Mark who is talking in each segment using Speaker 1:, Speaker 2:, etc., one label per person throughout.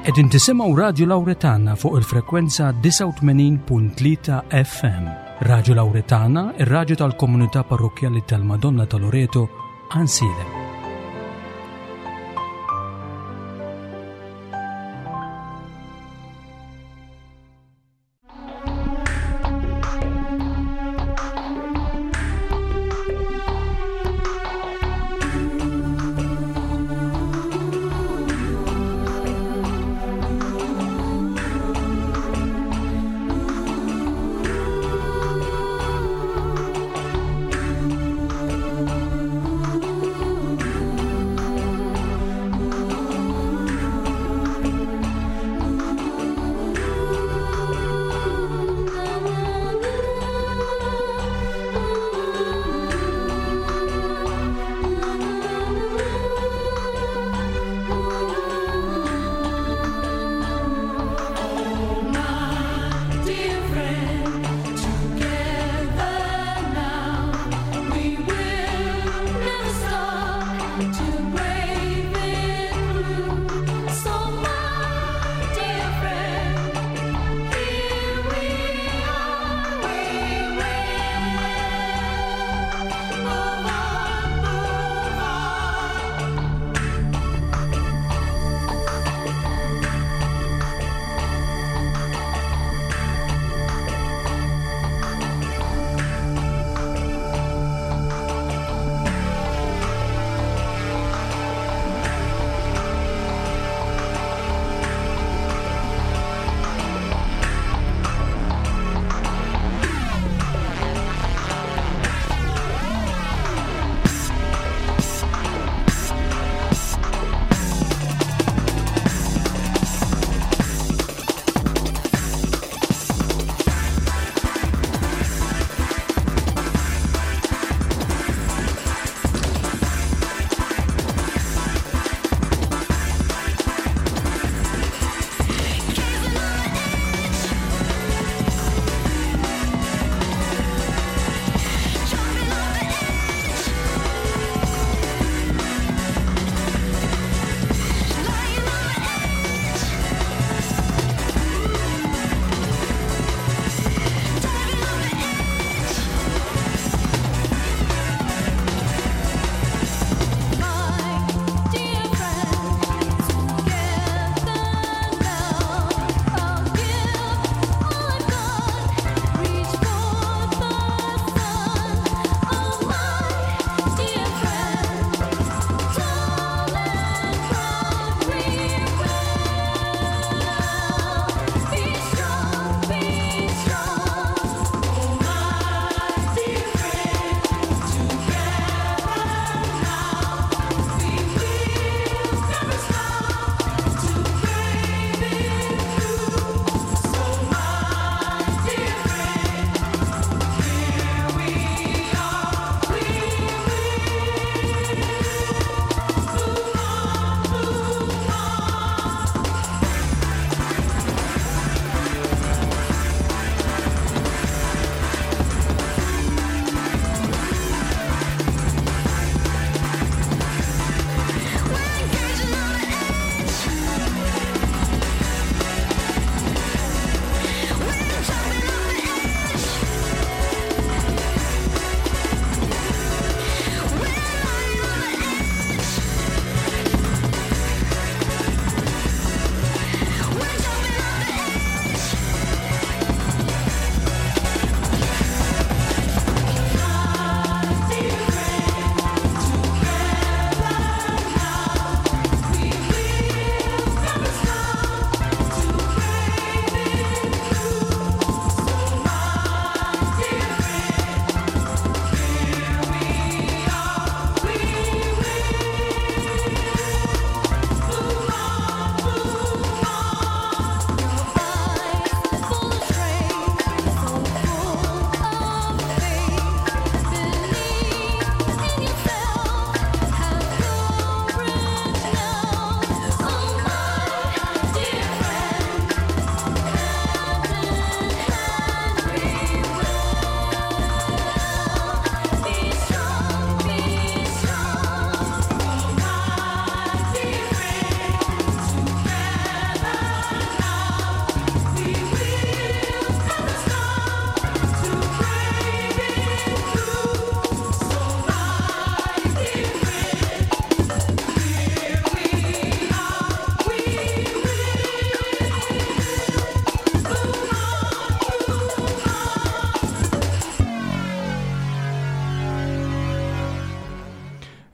Speaker 1: Qegħdin tisimgħu Radju Lawretana fuq il-frekwenza 89.3 FM. Radju Lawretana, ir-radju tal-komunità parrokkjali tal-Madonna ta' Loreto, Ansiedem.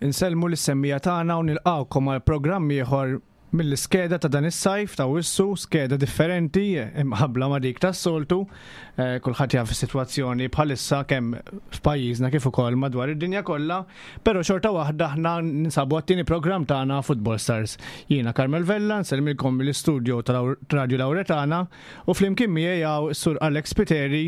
Speaker 1: Insellmu lis-semmiegħa tagħna u nilqgħukom għal programm ieħor mill-iskeda ta' dan is-sajf ta' Awwissu, skeda differenti imqabbla ma' dik tas-soltu. Eh, kulħadd jaf is-sitwazzjoni bħalissa kemm f'pajjiżna kif ukoll madwar id-dinja kollha, però xorta waħda aħna ninsabu għat-tieni programm tagħna Football Stars. Jiena Carmel Vella, nsellmilkom mill-istudio tal-Radju Lawretana u flimkien miegħi hawn is-Sur Alex Piteri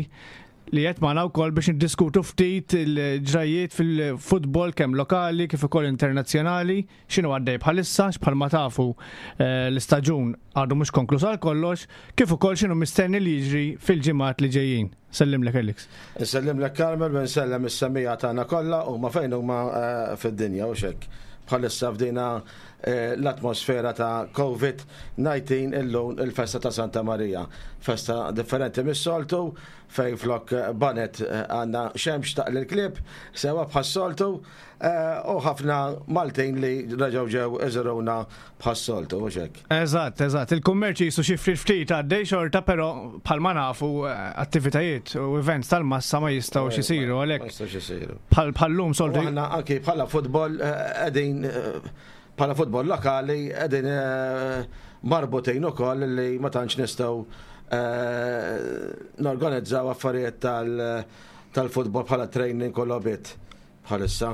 Speaker 1: li qed magħna wkoll biex niddiskutu ftit il-ġrajjiet fil-futbol kemm lokali kif ukoll internazzjonali, x'inhu għaddej bħalissa, bħalma tafu eh, l-istaġun għadu mhux konkluż għal kollox, kif ukoll x'inhu mistenni li jiġri fil-ġimgħat li ġejjin. Sellimlek Alex.
Speaker 2: Insellimlek Carmel u nsellem is-semmiegħa tagħna kollha huma fejn huma eh, fid-dinja u xek. Bħalissa f'dina eh, l-atmosfera ta' COVID-19 illum il-festa ta' Santa Marija. Festa differenti mis-soltu, Fejn flok banet għandna xemx taqli l-klieb, sewa bħas-soltu, u ħafna Maltin li reġgħu ġew iżuruna bħas-soltu, mhux hekk?
Speaker 1: Eżatt, eżatt. Il-kummerċ qisu xi ftit ftit għaddej xorta, però bħalma nafu attivitajiet u events tal-massa ma jistgħux isiru għalhekk.
Speaker 2: Ma jistgħux isiru.
Speaker 1: Bħal bħal-lum soltu.
Speaker 2: Aħna anki bħala futbol qegħdin bħala futbol lokali qegħdin marbutin ukoll li ma tantx nistgħu norganizzaw affarijiet tal-futbol bħala training u logħbiet bħalissa.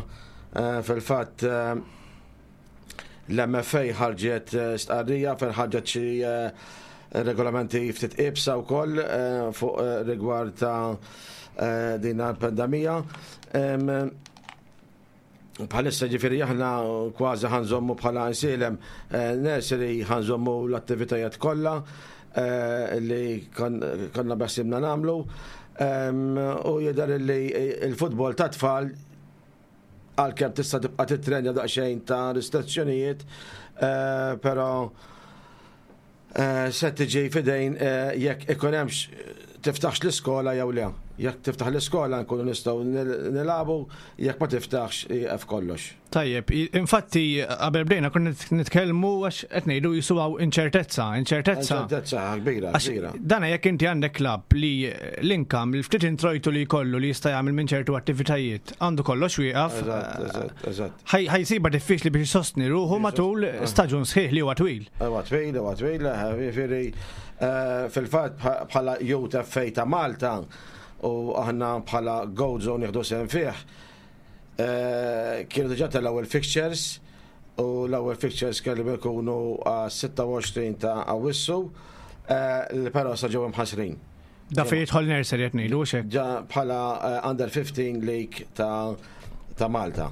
Speaker 2: Fil-fatt l-MFA ħarġet stqarrija fejn ħarġet xi regolamenti ftit iebsa wkoll fuq rigward ta' din il-pandemija. Bħalissa ġifieri aħna kważi ħanżommu bħala nsielem eh, nursery ħanżommu l-attivitajiet kollha eh, li konna beħsibna nagħmlu. U jidher li il-futbol ta' tfal għalkemm tista' tibqa' titrenja daqsxejn ta' restrizzjonijiet, eh, però Se tiġi f'idejn jekk ikun hemmx tiftaħx l-iskola jew le. Jekk tiftaħ l-iskola nkunu nistgħu nilagħbu, jekk ma tiftaħx jieqaf kollox.
Speaker 1: Tajjeb, infatti qabel bdejna konna nitkellmu għax qed ngħidu jisu hawn inċertezza, inċertezza.
Speaker 2: Inċertezza kbira, kbira.
Speaker 1: Dana jekk inti għandek klabb li l-inkam, l-ftit introjtu li jkollu li jista' jagħmel minn ċertu attivitajiet, għandu kollox wieqaf.
Speaker 2: Eżatt, eżatt, eżatt.
Speaker 1: Ħa jsibha diffiċli biex isostni ruħu matul staġun sħiħ li huwa twil.
Speaker 2: Huwa twil, huwa twil, jiġifieri fil-fatt bħala Youth FA ta' Malta u aħna bħala Gozo nieħdu sehem fih, kienu diġà telgħu il-fixtures u l-ewwel fixtures kellhom ikunu għas-26 ta' Awwissu, però sa ġew imħassrin.
Speaker 1: Da fejn jidħol nursery qed ngħidu hux hekk?
Speaker 2: Ġa bħala eh, under 15 League ta' ta' Malta.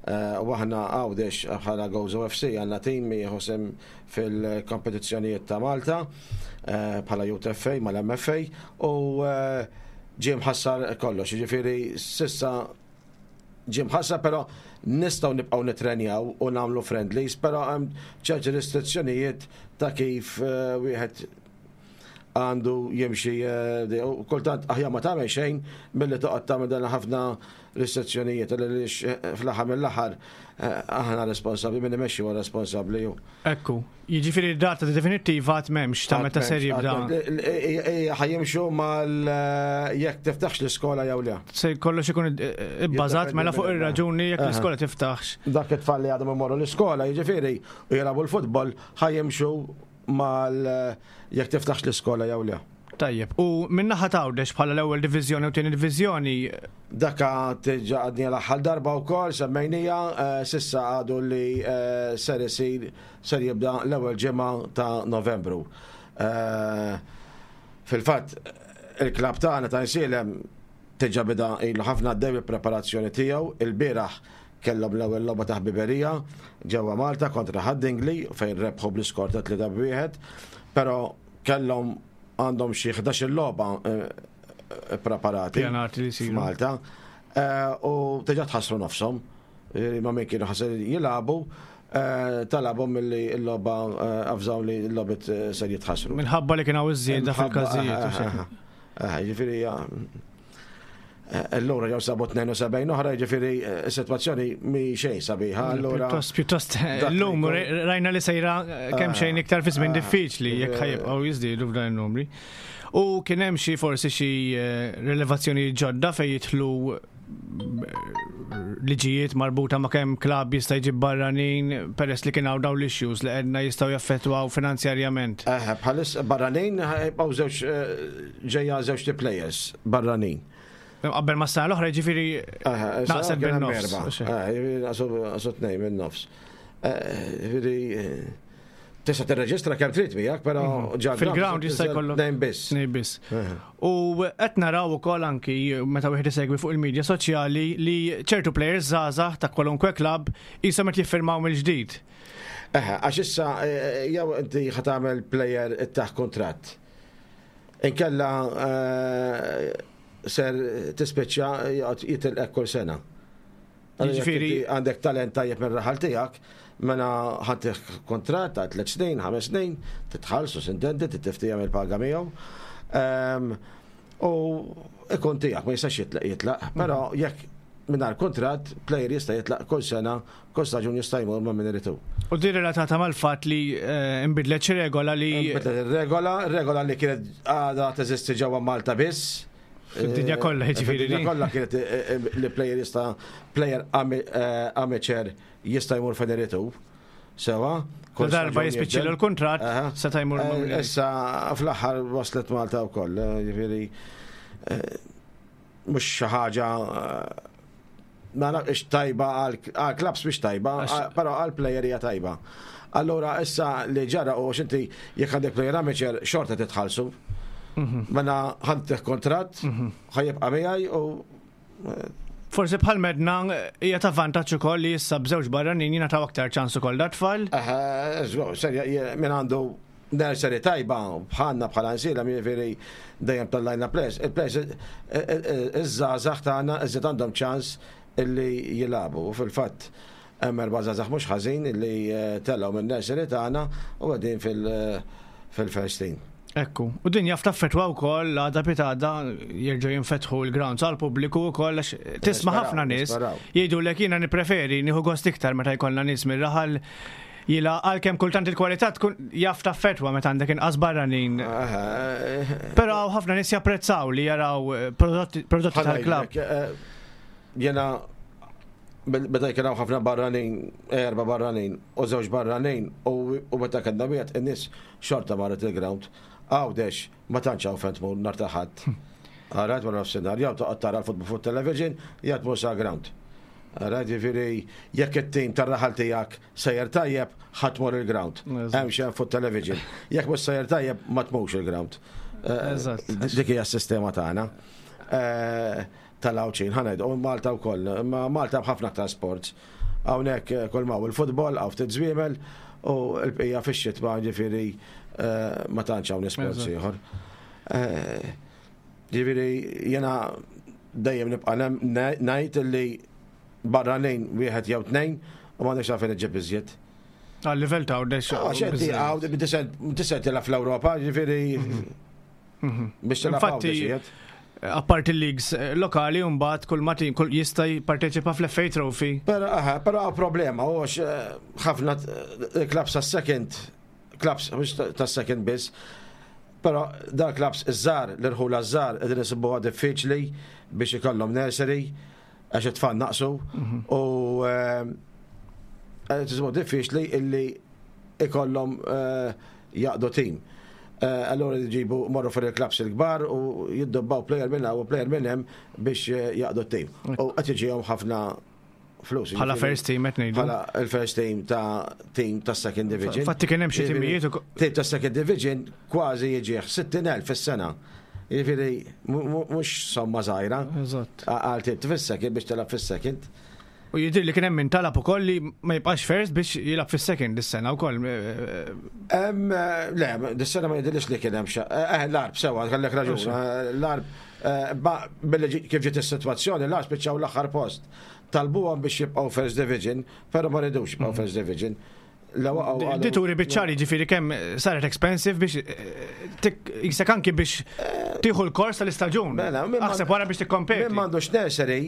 Speaker 2: Eh, u aħna Għawdex bħala Gozo FC għandna tim jieħu sem fil-kompetizzjonijiet ta' Malta eh, bħala Youth FA mal-MFA u ġie mħassar kollox, jiġifieri sissa ġie mħassar però nistgħu nibqgħu nitrenjaw u nagħmlu friendlies, però hemm ċerti restrizzjonijiet ta' kif wieħed għandu jimxi eh, u kultant aħjar ma tagħmel xejn milli toqgħod tagħmel dan ħafna restrizzjonijiet għaliex eh, fl-aħħar mill-aħħar eh, aħna responsabbli min imexxi huwa responsabbli
Speaker 1: ju. Ekku, jiġifieri data definittiva għad m'hemmx ta' meta ser jibda.
Speaker 2: Ħajjimxu mal jekk tiftaħx l-iskola jew le.
Speaker 1: Se kollox ikun ibbażat mela fuq ir-raġuni jekk l-iskola tiftaħx.
Speaker 2: Dak it-tfal li għadhom imorru l-iskola, jiġifieri u jilagħbu l-futbol ħajjimxu mal jekk tiftaħx l-iskola jew le.
Speaker 1: Tajjeb, u min-naħa ta' Għawdex bħala l-ewwel diviżjoni u tieni diviżjoni?
Speaker 2: Daka diġà għadniha l-aħħar darba wkoll semmejniha, s'issa għadu li ser isir ser jibda l-ewwel ġimgħa ta' Novembru. Fil-fatt il-klabb tagħna ta' Għajnsielem diġà beda ilu ħafna għaddej bil-preparazzjoni tiegħu, ilbieraħ Kellhom l-ewwel logħba ta' ħbiberija ġewwa Malta kontra Ħad-Dingli fejn rebħu bl-iskor ta' 3 b'wieħed, però kellhom għandhom xi 11-il logħba ppreparati f'Malta u diġà tħassru nofshom ma' min kienu ħa jilagħbu talabhom milli l-logħba avżaw li l-logħbiet ser jitħassru.
Speaker 1: Minħabba li kien hawn iż-żieda fil-każijiet.
Speaker 2: Ġifieri Allura ġew sabu 72 oħra, jiġifieri s-sitwazzjoni mi xejn sabiħa. Allura
Speaker 1: pjuttost pjuttost llum rajna li sejra kemm xejn iktar fi żmien diffiċli jekk ħajibqgħu jiżdiedu f'dan in-numri. U kien hemm xi forsi xi rilevazzjoni ġodda fejn jidħlu liġijiet marbuta ma' kemm klabb jista' jġib barranin peress li kien hawn dawn l-issues li għedna jistgħu jaffettwaw finanzjarjament.
Speaker 2: Eħe, bħalis barranin jibqgħu żewġ ġejja żewġ players barranin.
Speaker 1: Qabel ma s-sena l-oħra ġifieri naqset bin-nofs.
Speaker 2: Naqsu tnejn bin-nofs. Ġifieri tista' tirreġistra kemm trid miegħek, però mhm.
Speaker 1: ġa fil-ground jista' jkollok
Speaker 2: nejn biss.
Speaker 1: Nejn biss. U qed naraw ukoll anki meta wieħed isegwi fuq il-medja soċjali li ċertu players żgħażagħ ta' kwalunkwe klabb qishom qed jiffirmaw mill-ġdid.
Speaker 2: Eħe, għax issa eh, jew inti ħa tagħmel player taħ kuntratt. Inkella eh, ser tispiċċa jitilqek kull sena. Jiġifieri għandek talent tajjeb mir-raħal tiegħek, mela ħantih kontratt ta' tliet snin, ħames snin, titħallsu sintendi, tittiftija mill-paga miegħu. Ehm, u ikun tiegħek ma jistax jitlaq jitlaq, però mhm. jekk mingħajr kuntratt, player jista' jitlaq kull sena, kull staġun jista' jmur ma' min iritu.
Speaker 1: U din relatata mal-fatt li eh, nbidlet xi regola li.
Speaker 2: Nbidlet ir-regola, regola li kienet għadha teżisti ġewwa Malta biss.
Speaker 1: Fid-dinja kollha
Speaker 2: jiġifieri. Fid-dinja kollha kienet eh, eh, li player jista' player amateur jista' jmur fejn irid hu. Sewa.
Speaker 1: Kull darba jispiċċilu l-kuntratt seta' jmur.
Speaker 2: Issa fl-aħħar waslet Malta wkoll, jiġifieri mhux xi ħaġa ma nafx tajba għal clubs mhix tajba, però għal player hija tajba. Allura issa li ġara u xinti jekk għandek player amateur xorta titħallsu. Mhm. Mela ħantih kontratt, mhm. ħajibqa' miegħi u
Speaker 1: eh, Forsi bħal medna hija ta' vantaġġ ukoll li issa b'żewġ barranin jingħataw aktar ċans ukoll da tfal.
Speaker 2: Serja, min għandu nursery tajba bħalna bħala nsiela jiġifieri dejjem tellajna players, il-players iż-żgħażagħ tagħna iżjed għandhom ċans illi jilagħbu. U fil-fatt hemm erba' żgħażagħ mhux ħażin illi eh, telgħu minn-nursery tagħna u qegħdin fil-first team.
Speaker 1: Ekku, u din jaf taffetwa wkoll għada pitada jerġgħu jinfetħu l-grounds għal pubbliku wkoll għax tisma' ħafna nies jgħidu lek jiena nippreferi nieħu gost iktar meta jkollna nies mir-raħal Jila għalkemm kultant il-kwalità tkun jaf taffetwa meta għandek inqas barranin. Però ħafna nies japprezzaw li jaraw eh, prodotti tal-klabb.
Speaker 2: Eh, jena meta kien hawn ħafna barranin, erba' barranin u żewġ barranin u meta kellna wieħed in-nies xorta marret il-ground. Għawdex ma tantx hawn fejn tmur nhar ta' Ħadd. Għarajt wara nofsinhar jew toqgħod tara l-futbol fuq television jew tmur sa ground. Ara, ġifieri jekk it-tim tar-raħal tiegħek sejjer tajjeb, ħa tmur il-ground. Hemm xi fuq television. Jekk mhux sejjer tajjeb, ma tmurx il-ground. Eh, dik hija s-sistema tagħna. Eh, tal-Għawdxin, ħa ngħidu, u Malta wkoll. Ma Malta b'ħafna aktar sports. Hawnhekk eh, kull ma il-futbol, hawn ftit żwiemel u l-bqija fix-xitwa ġifieri ma tantx hawn sports ieħor. Ġifieri jiena dejjem nibqa' ngħid li barranin wieħed jew tnejn u m'għandekx għalfejn iġġib iżjed.
Speaker 1: Għal livell ta' għawdex.
Speaker 2: Għax inti għaw tisent tilgħab fl-Ewropa, ġifieri mhm.
Speaker 1: mhm. biex tilgħab Infatti, apart il-leagues eh, lokali mbagħad kull ma tim kull jista' jipparteċipa fl-FA Trophy.
Speaker 2: Però aha, però problema u eh, ħafna eh, clubs tas-second clubs mhux tas-second biss, Però dal clubs iż-żgħar, l-irħula ż-żgħar qegħdin isibuha diffiċli biex ikollhom nursery għax it-tfal naqsu u eh, qed isibuha diffiċli illi ikollhom eh, jaqdu tim. Eh, allura jġibu morru fil-clubs il-kbar u jiddobbaw player minn hawn u player minn hemm biex jaqdu t-tim. U qed jiġihom ħafna
Speaker 1: flus. Bħala first team qed ngħidu.
Speaker 2: Bħala il-first team ta' team ta' second division.
Speaker 1: Fatti kien hemm xi timijiet
Speaker 2: Team ta' second division kważi jiġih 60,000 fis-sena. Jiġifieri mhux somma żgħira.
Speaker 1: Eżatt.
Speaker 2: Għal team fis-second biex tilgħab fis-second.
Speaker 1: U jidher li kien hemm min talab ukoll li ma jibqax first biex jilgħab fis-second dis-sena wkoll.
Speaker 2: Le, dis-sena ma jidhirlix li kien hemm xa. Eh, l-arb sewa, kellek raġun. L-arb billi kif ġiet is-sitwazzjoni, l-arb spiċċaw l-aħħar post. Talbuhom biex jibqgħu First Division, però ma ridux jibqgħu mhm. First Division. La waqgħu qalu.
Speaker 1: Di turi biċ-ċar jiġifieri kemm saret expensive biex jisek anki biex tieħu l-kors tal-istaġun.
Speaker 2: Mela, min
Speaker 1: Aħseb wara biex tikkompeti.
Speaker 2: Min m'għandux nursery,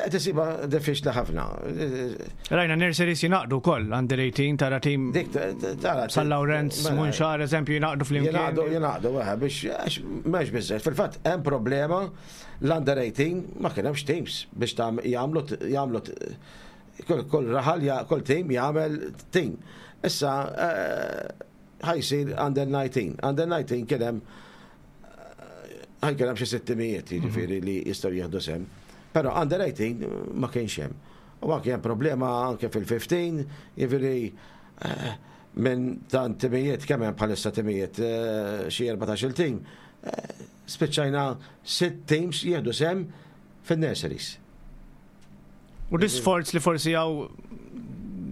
Speaker 2: qed isibha diffiċli ħafna.
Speaker 1: Rajna nurseries jingħaqdu wkoll under 18 tara tim
Speaker 2: Dik tara.
Speaker 1: San Lawrenz,
Speaker 2: Mela,
Speaker 1: Munxar, eżempju, jingħaqdu flimkien.
Speaker 2: Jingħaqdu, jingħaqdu, eħe, biex għax m'hemmx biżżejjed. Fil-fatt hemm problema l-under 18 ma kien hemmx teams biex jagħmlu jagħmlu kull raħal, kull team jagħmel team. Issa ħa jsir under 19. Under 19 kien hemm ħaj kien hemm xi sittimijiet jiġifieri li jistgħu jieħdu sehem. Però under 18 ma kienx hemm. U anke hemm problema anke fil-15, jiġifieri minn tant timijiet kemm hemm bħalissa timijiet xi 14 il team, spiċċajna sitt teams jieħdu sehem fin-nurseries.
Speaker 1: U l-isforz li forsi għaw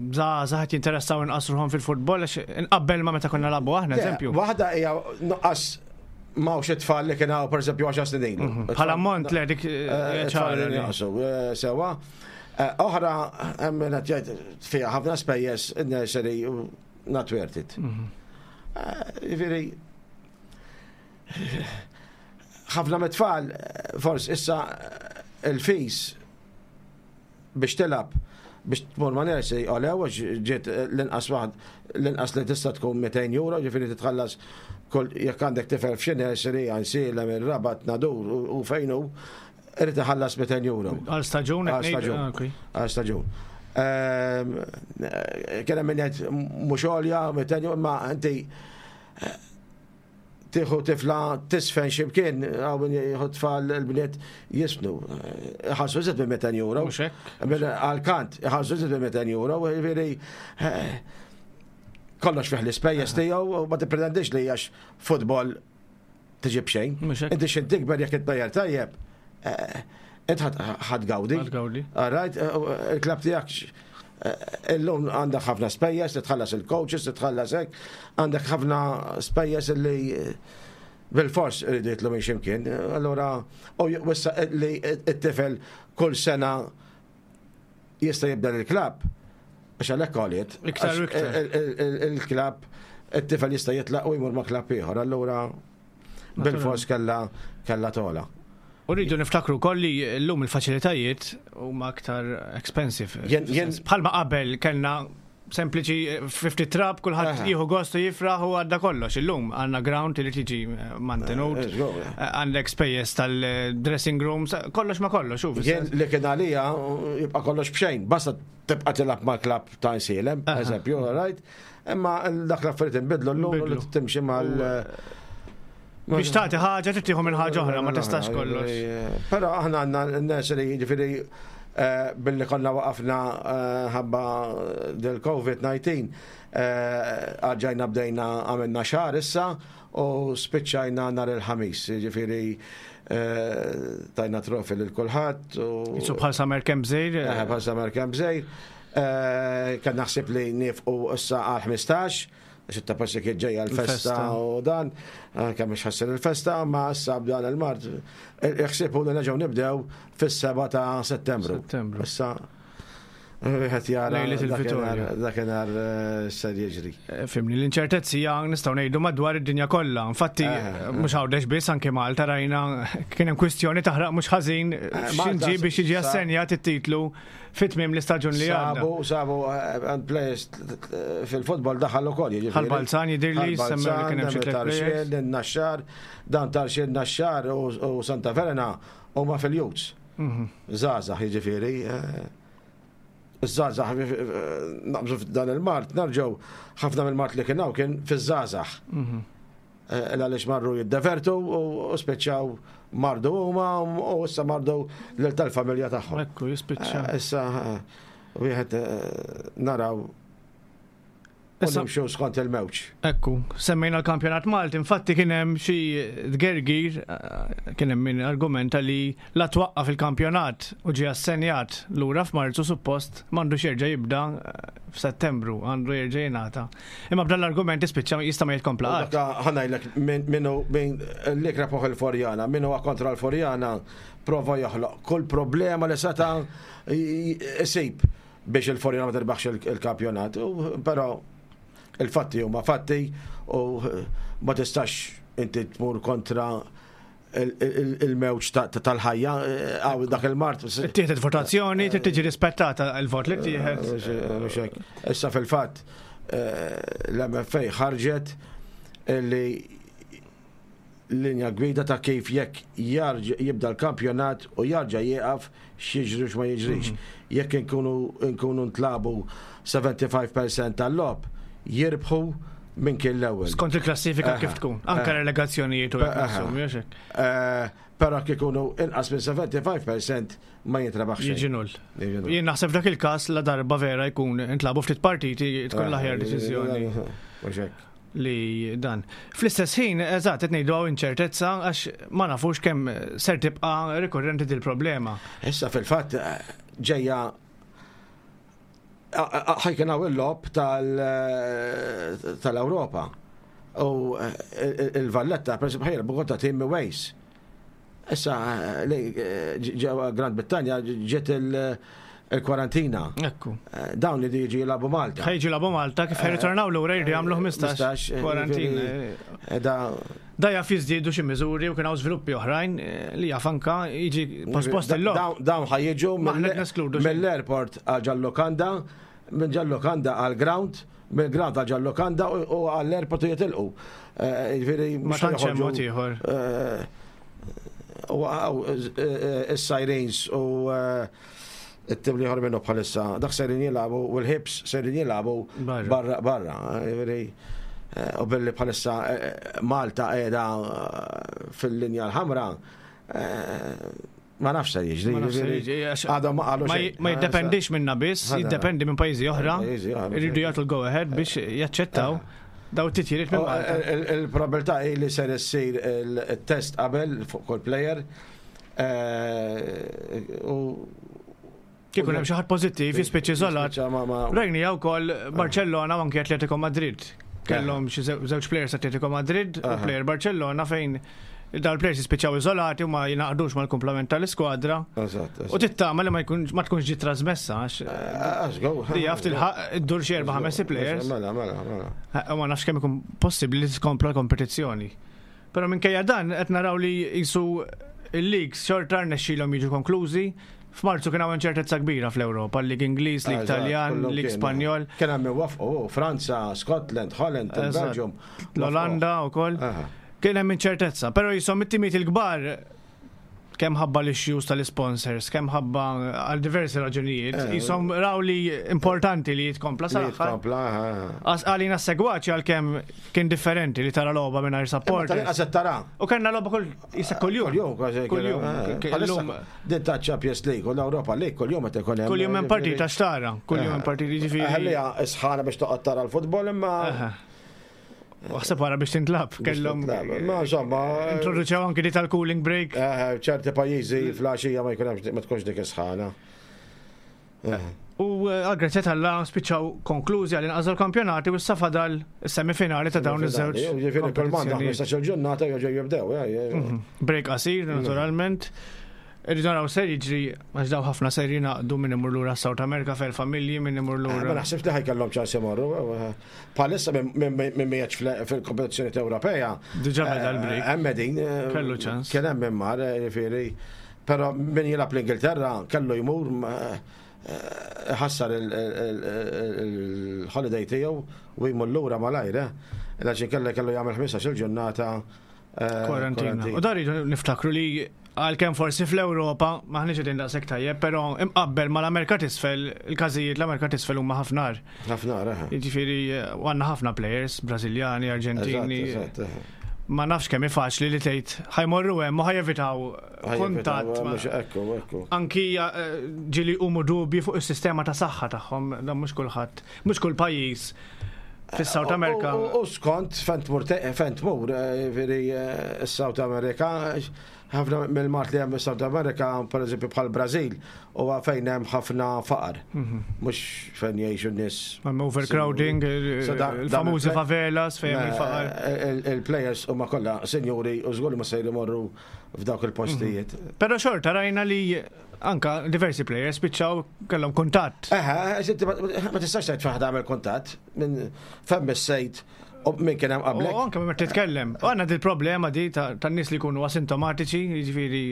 Speaker 1: żgħażagħ jinteressaw inqas ruħhom fil-futbol, għax inqabbel ma meta konna nilagħbu aħna, eżempju.
Speaker 2: Waħda hija nuqqas m'hawnx it-tfal li kien hawn pereżempju 10 snin ilu.
Speaker 1: Bħala ammont le dik
Speaker 2: ċara
Speaker 1: li.
Speaker 2: Naqsu, sewa. Oħra, hemm min qed jgħid fiha ħafna spejjeż in-nursery not worth it. Jiġifieri ħafna mit-tfal forsi issa il-fees biex tilgħab biex tmur ma' nursery għolew għax ġiet l-inqas waħd l-inqas li tista' tkun 200 euro, ġifieri titħallas kull jekk għandek tifel f'xi nursery Għajnsielem, ir-Rabat, Nadur u fejn hu, irid iħallas 200 euro.
Speaker 1: Għal staġun
Speaker 2: Għal staġun. Għal staġun. Kien hemm min jgħid mhux għolja 200 euro, imma inti tieħu tifla tisfen x'imkien, hawn min jieħu tfal il-bniet jisfnu. Iħallsu iżjed minn 200 euro.
Speaker 1: Mhux hekk.
Speaker 2: Għal-kant, iħallsu iżjed minn 200 euro, jiġifieri kollox fih l-ispejjeż tiegħu u ma tippretendix li għax futbol tiġi b'xejn.
Speaker 1: Mhux hekk.
Speaker 2: Inti x'int tikber jekk it-player tajjeb, int ħa tgawdi.
Speaker 1: Ħa tgawdi.
Speaker 2: All right, il-klabb tiegħek illum għandek ħafna spejjeż li tħallas il-coaches, li tħallas hekk, għandek ħafna spejjeż li bil-fors iridu jitlu minn x'imkien. Allura, u issa li t-tifel kull sena jista' jibda l-klabb, għax għalhekk għoliet.
Speaker 1: Iktar u iktar.
Speaker 2: Il-klabb, it-tifel jista' jitlaq u jmur ma' klabb ieħor. Allura, bil-fors kella tola.
Speaker 1: U rridu niftakru wkoll li llum il-faċilitajiet huma aktar expensive. Bħalma qabel kellna sempliċi 50 trab, kulħadd jieħu gost u jifraħ u għadda kollox. Illum għandna ground li tiġi mantenut, għandek spejjeż tal-dressing rooms, kollox ma kollox.
Speaker 2: Jien li kien għalija jibqa' kollox b'xejn, basta tibqa' tilgħab ma' klabb ta' Għajnsielem, eżempju, right? Imma dak l-affarijiet inbidlu llum li timxi mal
Speaker 1: Biex tagħti ħaġa trid tieħu minn ħaġa oħra, ma tistax kollox.
Speaker 2: Però aħna għandna n-nursery jiġifieri billi konna waqafna ħabba del-COVID-19, għadġajna bdejna għamilna xahar issa u spiċċajna nhar il-Ħamis, jiġifieri tajna trophy lil kulħadd.
Speaker 1: Jisu bħal summer camp żgħir.
Speaker 2: Bħal summer camp żgħir. Kien naħseb li nifqu issa għal 15, għax ta' passi kien ġejja l-festa u dan, kemm mhux ħassir il-festa, ma issa b'dan il-mard. Il-ħsieb hu li nerġgħu nibdew fis-7 ta' Settembru.
Speaker 1: Settembru.
Speaker 2: Issa wieħed jara
Speaker 1: Lejlet il-Vitorja.
Speaker 2: dakinhar ser jiġri.
Speaker 1: Fimni, l-inċertezzi hija nistgħu ngħidu madwar id-dinja kollha. Infatti, mhux Għawdex biss, anke Malta rajna kien hemm kwistjoni taħraq mhux ħażin x'inġi biex jiġi assenjat it-titlu fit-tmiem l-istaġun li għadda.
Speaker 2: Sabu, sabu, players fil-futbol daħal ukoll, jiġifieri.
Speaker 1: Ħal Balzan jidhirli,
Speaker 2: Ħal
Speaker 1: semmew li kien hemm xi
Speaker 2: Balzan,
Speaker 1: tliet
Speaker 2: Tarxien,
Speaker 1: players.
Speaker 2: Naxxar, dan Tarxien, Naxxar u Santa Verena huma fil-Youths. Żgħażagħ, jiġifieri. Żgħażagħ, naqbżu f'dan il-mard, nerġgħu ħafna mill-mard li kien hawn kien fiż-żgħażagħ. Għaliex marru jiddevertu u spiċċaw mardu huma u issa mardu lil tal-familja tagħhom.
Speaker 1: Ekku, jispiċċa.
Speaker 2: Issa wieħed naraw u nimxu skont il-mewġ.
Speaker 1: Ekku, semmejna l-kampjonat Malti, infatti kien hemm xi tgergir, kien hemm min argumenta li la twaqqaf il-kampjonat u ġie assenjat lura f'Marzu suppost m'għandux jerġa' jibda f'Settembru, għandu jerġa' jingħata. Imma b'dan l-argument ispiċċa jista' ma jitkompla qatt.
Speaker 2: Dak ħa ngħidlek minnu min li krapoħ il-Furjana, min huwa kontra l-Furjana prova joħloq kull problema li seta' isib biex il-Furjana ma tirbaħx il-kampjonat, però Il-fatti huma fatti u ma tistax inti tmur kontra il-mewġ tal-ħajja għaw dak il-mart.
Speaker 1: Tieħed votazzjoni, trid tiġi rispettata il-vot li tieħed.
Speaker 2: Issa fil-fatt l-MFA ħarġet li linja gwida ta' kif jekk jibda l-kampjonat u jarġa' jieqaf x'jiġri x'ma jiġrix. Jekk inkunu ntlabu 75% tal-logħob, jirbħu minn kien l-ewwel.
Speaker 1: Skont il-klassifika kif tkun, anke relegazzjonijiet u hekk.
Speaker 2: Però kif ikunu inqas minn 75% ma jintrebaħ xejn.
Speaker 1: Jiġi null. Jien naħseb f'dak il-każ la darba vera jkun intlabu ftit partiti tkun l-aħjar deċiżjoni. Li dan. Fl-istess ħin, eżatt, qed ngħidu hawn inċertezza għax ma nafux kemm ser tibqa' rikurrenti dil-problema.
Speaker 2: Issa fil-fatt ġejja ħajkun hawn il-logħob tal-Ewropa. U il-Valletta, per esempio, ħajlbu kontra tim Wales. Issa ġewwa Grand Brittanja ġiet il-kwarantina.
Speaker 1: Ekku.
Speaker 2: Dawn li jiġu jilagħbu Malta.
Speaker 1: Ħajġu jilagħbu Malta kif ħajritornaw lura jridu jagħmlu 15 kwarantina. Da jaf jiżdiedu xi miżuri u kien hawn żviluppi oħrajn li jaf anka jiġi pospost il-logħob.
Speaker 2: Dawn ħajjiġu mill-airport għal ġal-lukanda, minn ġal-lukanda għall-ground, mill-ground għal ġal-lukanda u għall-airport u jitilqu. Jiġifieri
Speaker 1: ma tantx hemm mod ieħor.
Speaker 2: U is-Sirens u it-tim li minnu bħalissa, dak sejrin jilagħbu u l-Hibs sejrin jilagħbu barra barra. U billi bħalissa Malta qiegħda fil-linja l-ħamra, ma nafx se jiġri.
Speaker 1: Għadhom ma qalu Ma jiddependix minna biss, jiddependi minn pajjiżi oħra. Irridu jagħtu l-go ahead biex jaċċettaw daw titjiriet minn Malta.
Speaker 2: Il-probabilità hi li ser issir il-test qabel fuq kull player. U
Speaker 1: Kieku hemm xi ħadd pożittiv jispiċċa iżolat. Rajnija wkoll Barcellona u anke Atletico Madrid. Kellhom xi żewġ players Atletico Madrid u player Barcellona fejn dawn il-players jispiċċaw iżolati u ma jingħaqdux mal-kumplament tal-iskwadra. U tittama li ma tkunx ġiet trasmessa għax. Li jaf tilħaq iddur xi erba' ħames players.
Speaker 2: Mela, mela, mela.
Speaker 1: U ma nafx kemm ikun possibbli li tkompla l-kompetizzjoni. Però minkejja dan qed naraw li jisu il-leagues xorta rnexxielhom jiġu konklużi. F'Marzu kien hawn inċertezza kbira fl-Ewropa, l-Lig Ingliż, Lig Taljan, Lig Spanjol.
Speaker 2: Kien hemm wafqu Franza, Scotland, Holland, Belgium.
Speaker 1: L-Olanda wkoll. Kien hemm inċertezza, però jisom it-timiet il-kbar kemm ħabba l-issues tal-sponsors, kemm ħabba għal diversi raġunijiet, jisom raw li importanti li jitkompla sal-aħħar. Għalina segwaċi għalkemm kien differenti li tara logħba mingħajr support.
Speaker 2: Tal-inqas tara.
Speaker 1: U kellna logħba kull jisa kuljum.
Speaker 2: Kuljum kważi.
Speaker 1: Kuljum.
Speaker 2: Din ta' Champions League u l-Ewropa League kuljum qed ikun hemm.
Speaker 1: Kuljum hemm partita xtara, kuljum hemm partita jiġifieri.
Speaker 2: Ħallija sħana biex toqgħod tara l-futbol imma.
Speaker 1: Waħseb wara biex tintlab, kellhom.
Speaker 2: Ma insomma.
Speaker 1: Introduċew anki di tal-cooling break.
Speaker 2: Ċerti pajjiżi fl-għaxija ma jkun ma tkunx dik is-sħana.
Speaker 1: U għal-grazzja tal-la spiċċaw konklużi għal inqas l-kampjonati u issa fadal is-semifinali ta' dawn iż-żewġ.
Speaker 2: Ġifieri kull m'għandha 15-il ġurnata jerġgħu jibdew.
Speaker 1: Break qasir naturalment. Irridu naraw ser jiġri għax daw ħafna ser jingħaqdu min imur lura South America fejn familji min imur lura.
Speaker 2: Ma naħsibx li ħajkellhom ċans imorru. Bħalissa minn miegħek fil-kompetizzjoni Ewropea.
Speaker 1: Diġà beda l-break.
Speaker 2: Hemm qegħdin.
Speaker 1: Kellu ċans.
Speaker 2: Kien hemm min mar, jiġifieri. Però min jilgħab l-Ingilterra kellu jmur ħassar il-holiday tiegħu u jmur lura malajr, għax inkella kellu jagħmel 15-il ġurnata
Speaker 1: Kwarantina. U dar niftakru li għalkemm forsi fl-Ewropa maħniex qegħdin daqshekk tajjeb, però imqabbel mal-Amerika t'isfel, il-każijiet l-Amerika t'isfel huma ħafna.
Speaker 2: Ħafna,
Speaker 1: Jiġifieri għandna ħafna players, Brażiljani, Arġentini. Ma nafx kemm faċli li tgħid ħajmorru hemm u ħajevitaw kuntatt. Anki ġieli huma dubji fuq is-sistema ta' saħħa tagħhom, dan mhux kulħadd, mhux kull pajjiż fis-South America.
Speaker 2: U skont fejn tmur, fejn tmur, jiġifieri s-South America, ħafna mill-mart li hemm fis-South America, per eżempju bħal Brażil, huwa fejn hemm ħafna faqar. Mhux fejn jgħixu n-nies.
Speaker 1: Hemm overcrowding, il-famużi favelas fejn hemm il-faqar.
Speaker 2: Il-players huma kollha sinjuri u żgur ma se jmorru f'dawk il-postijiet.
Speaker 1: Però xorta rajna li Anka diversi players spiċċaw kellhom kuntatt.
Speaker 2: Eħe, ma tistax tgħid fejn tagħmel kuntatt minn fejn missejt u minn kien hemm qablek.
Speaker 1: U anke meta titkellem. U għandna dil problema di tan-nies li jkunu asintomatiċi, jiġifieri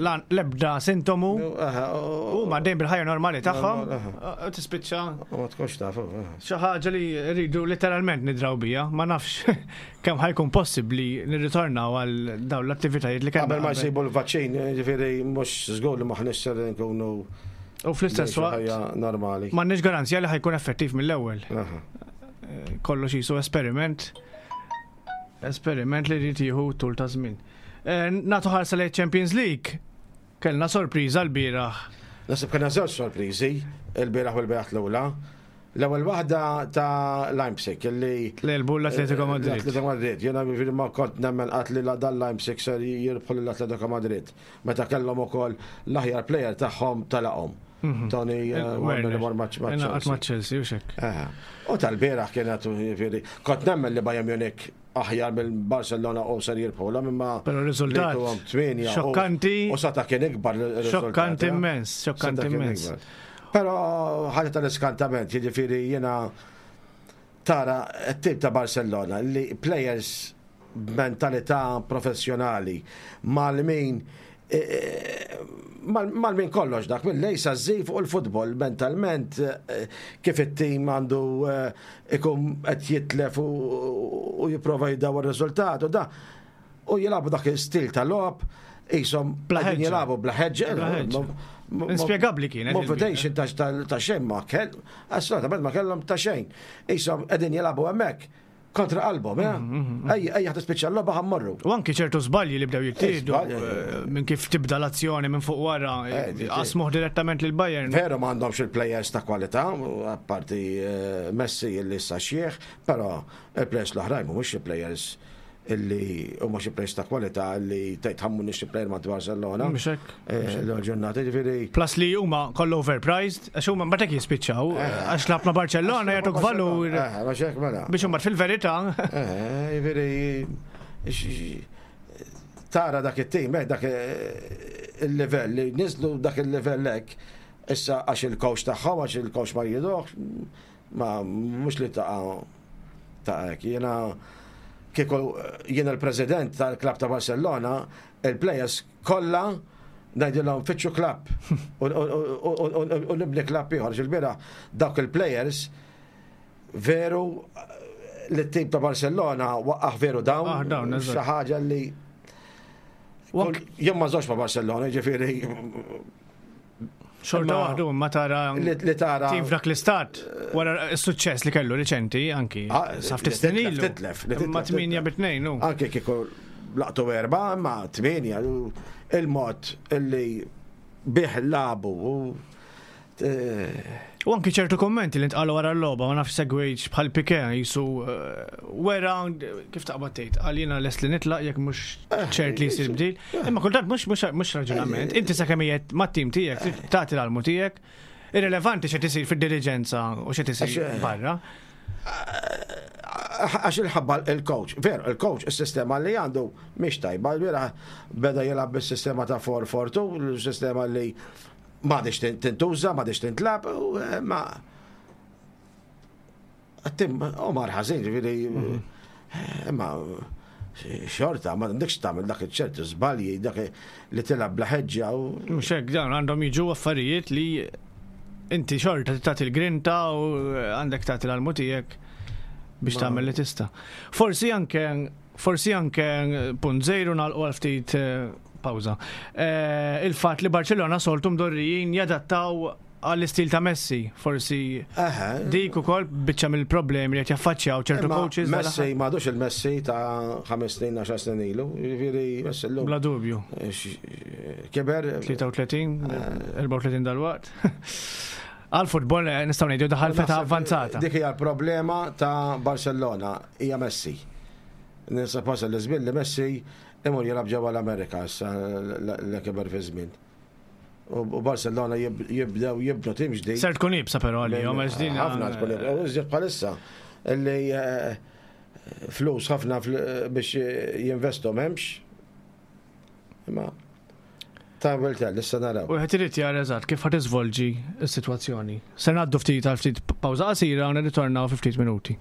Speaker 1: l-ebda sintomu. U ma dejjem bil-ħajja normali tagħhom, tispiċċa.
Speaker 2: U ma tkunx taf.
Speaker 1: Xi ħaġa li rridu letteralment nidraw bija, ma nafx kemm ħajkun possibbli nirritornaw għal dawn l-attivitajiet li kellna.
Speaker 2: Qabel ma jsibu l-vaċċin, jiġifieri mhux żgur li m'aħniex ser nkunu
Speaker 1: U fl-istess waqt
Speaker 2: normali.
Speaker 1: M'għandniex garanzija li ħajkun effettiv mill-ewwel. Kollox jisu esperiment esperiment li jrid jieħu tul ta' żmien. Eh, nagħtu ħarsa lejn Champions League. Kellna sorpriża l-bieraħ.
Speaker 2: Nasib kellna żewġ sorpriżi il-bieraħ u l-bieraħ l-ewla. L-ewwel waħda ta' Leipzig illi.
Speaker 1: L-elbu l-Atletico Madrid.
Speaker 2: L-Atletico Madrid. Jiena jiġifieri ma kont nemmen qatt li dan Leipzig ser jirbħu lill-Atletico Madrid. Meta kellhom ukoll l-aħjar plejer tagħhom telaqhom. Mhm. Tony eh,
Speaker 1: Werner li mor ma' Chelsea. U xek.
Speaker 2: U tal-bieraħ kienet jiġifieri kont nemmen li Bayern Munich aħjar mill-Barcelona u ser jirbħulhom imma.
Speaker 1: Però r-riżultat. Xokkanti.
Speaker 2: U sata kien ikbar.
Speaker 1: Xokkanti eh? immens, xokkanti immens.
Speaker 2: Però ħaġa tal-iskantament, jiġifieri jiena tara t-tip ta' Barcelona li players b'mentalità professjonali mal-min e, e, mal-min kollox dak mill-lej sa fuq il-futbol mentalment e, kif it-tim għandu ikun qed jitlef u jipprova jdawwar ir-riżultat u da u jilagħbu dak il-stil ta' logħob qishom qegħdin jilagħbu bla ħeġġa.
Speaker 1: Inspjegabbli kienet.
Speaker 2: Motivation ta' xejn ma kell, assolutament ma kellhom ta' xejn. Qishom qegħdin jilagħbu hemmhekk kontra qalbhom, eh? Mhm, mhm, mhm. Ejja, ejja tispiċċa l-logħba ħammorru.
Speaker 1: U anki ċertu żbalji li bdew jittieħdu eh, minn kif tibda l-azzjoni minn fuq wara, eh, qasmuh direttament lil Bayern.
Speaker 2: Veru m'għandhomx il-plejers ta' kwalità, apparti eh, Messi li issa xieħ, però il-plejers l-oħrajn mhumiex il-plejers illi huma xi players ta' kwalità li tgħid ħammu nixtri player ma' Barcelona.
Speaker 1: Mhux hekk.
Speaker 2: Eh, l-ġurnata ġifieri.
Speaker 1: Plus li huma kollha overpriced, għax huma mbagħad hekk jispiċċaw, eh. għax lab ma' Barcellona jagħtuk valur.
Speaker 2: Eh, mhux hekk mela.
Speaker 1: Biex imbagħad fil-verità.
Speaker 2: Ġifieri tara dak it-tim, dak il-livell li niżlu dak il-livell hekk, issa għax il-coach tagħhom, għax il-coach ma jridux, ma mhux li taqa' ta' hekk. Jiena kieku jiena l-president tal-klab ta' Barcellona, il-players kollha ngħidilhom fittxu klab u nibni klab ieħor. Ġil-bira dawk il-players veru li t-tim ta' Barcellona waqqaħ veru dawn.
Speaker 1: Ah,
Speaker 2: xi ħaġa li jien ma żox ma' Barcellona, ġifieri
Speaker 1: Xorta waħdu ma tara
Speaker 2: li tara
Speaker 1: tim f'dak l-istat wara s-suċċess li kellu riċenti anki
Speaker 2: ah,
Speaker 1: sa ftit snin ilu.
Speaker 2: Titlef,
Speaker 1: Ma 8 bi 2
Speaker 2: Anki kieku laqtu erba, ma 8 il-mod illi bih labu
Speaker 1: eh, U anki ċertu kommenti li ntqalu wara l-logħba ma nafx segwejġ bħal Piqué jisu eh, wera kif taqbad tgħid qal jiena lest li nitlaq jekk mhux eh, ċert li jsir bdil. Imma kultant mhux mhux raġunament. Inti sakemm qiegħed mat-tim tiegħek tagħti l-almu tiegħek, irrilevanti x'qed isir fid-diriġenza u x'qed isir barra.
Speaker 2: Għax il-ħabba il-coach, veru, il-coach, il-sistema li għandu mhix tajba, vera beda jilgħab bis-sistema ta' 4-4-2, il-sistema li M'għadix tintuża, m'għadix tintlab, eh, ma Tim, u mar ħażin, ġifieri, mhm. eh, imma xorta, ma għandekx tagħmel dak iċ-ċertu żbalji, dak li tilgħab bla ħeġġa u.
Speaker 1: Mhux hekk dawn għandhom jiġu affarijiet li inti xorta tagħti l-grinta u għandek tagħti l-almu tiegħek biex tagħmel li tista'. Forsi anke Forsi anke punt żejru nagħlqu għal ftit eh, pawża. Eh, il-fatt li Barcellona soltu mdorrijin jadattaw għall-istil ta' Messi, forsi dik ukoll biċċa mill-problemi li qed jaffaċċjaw ċertu coaches.
Speaker 2: Messi m'għadux il-Messi ta' 5 snin 10 snin ilu, jiġifieri Messi llum.
Speaker 1: Bla dubju.
Speaker 2: Kiber.
Speaker 1: 33, 34 dal-waqt. Għal futbol eh, nistgħu ngħidu daħal feta avvanzata.
Speaker 2: Dik hija l-problema ta' Barcellona, hija Messi. Ninsab wasal l-żmien li Messi imur jilgħab ġewwa l-Amerika issa li kiber fi żmien. U Barcelona jibdew jibnu tim ġdid.
Speaker 1: Ser tkun ibsa però għalihom għax din.
Speaker 2: Ħafna tkun ibsa. U iżjed bħalissa li eh, flus ħafna biex jinvestu m'hemmx. Imma. Time will tell, issa naraw.
Speaker 1: U qed irid jara eżatt kif ħa tiżvolġi s-sitwazzjoni. Se ngħaddu ftit għal ftit pawża qasira u nirritornaw fi ftit minuti.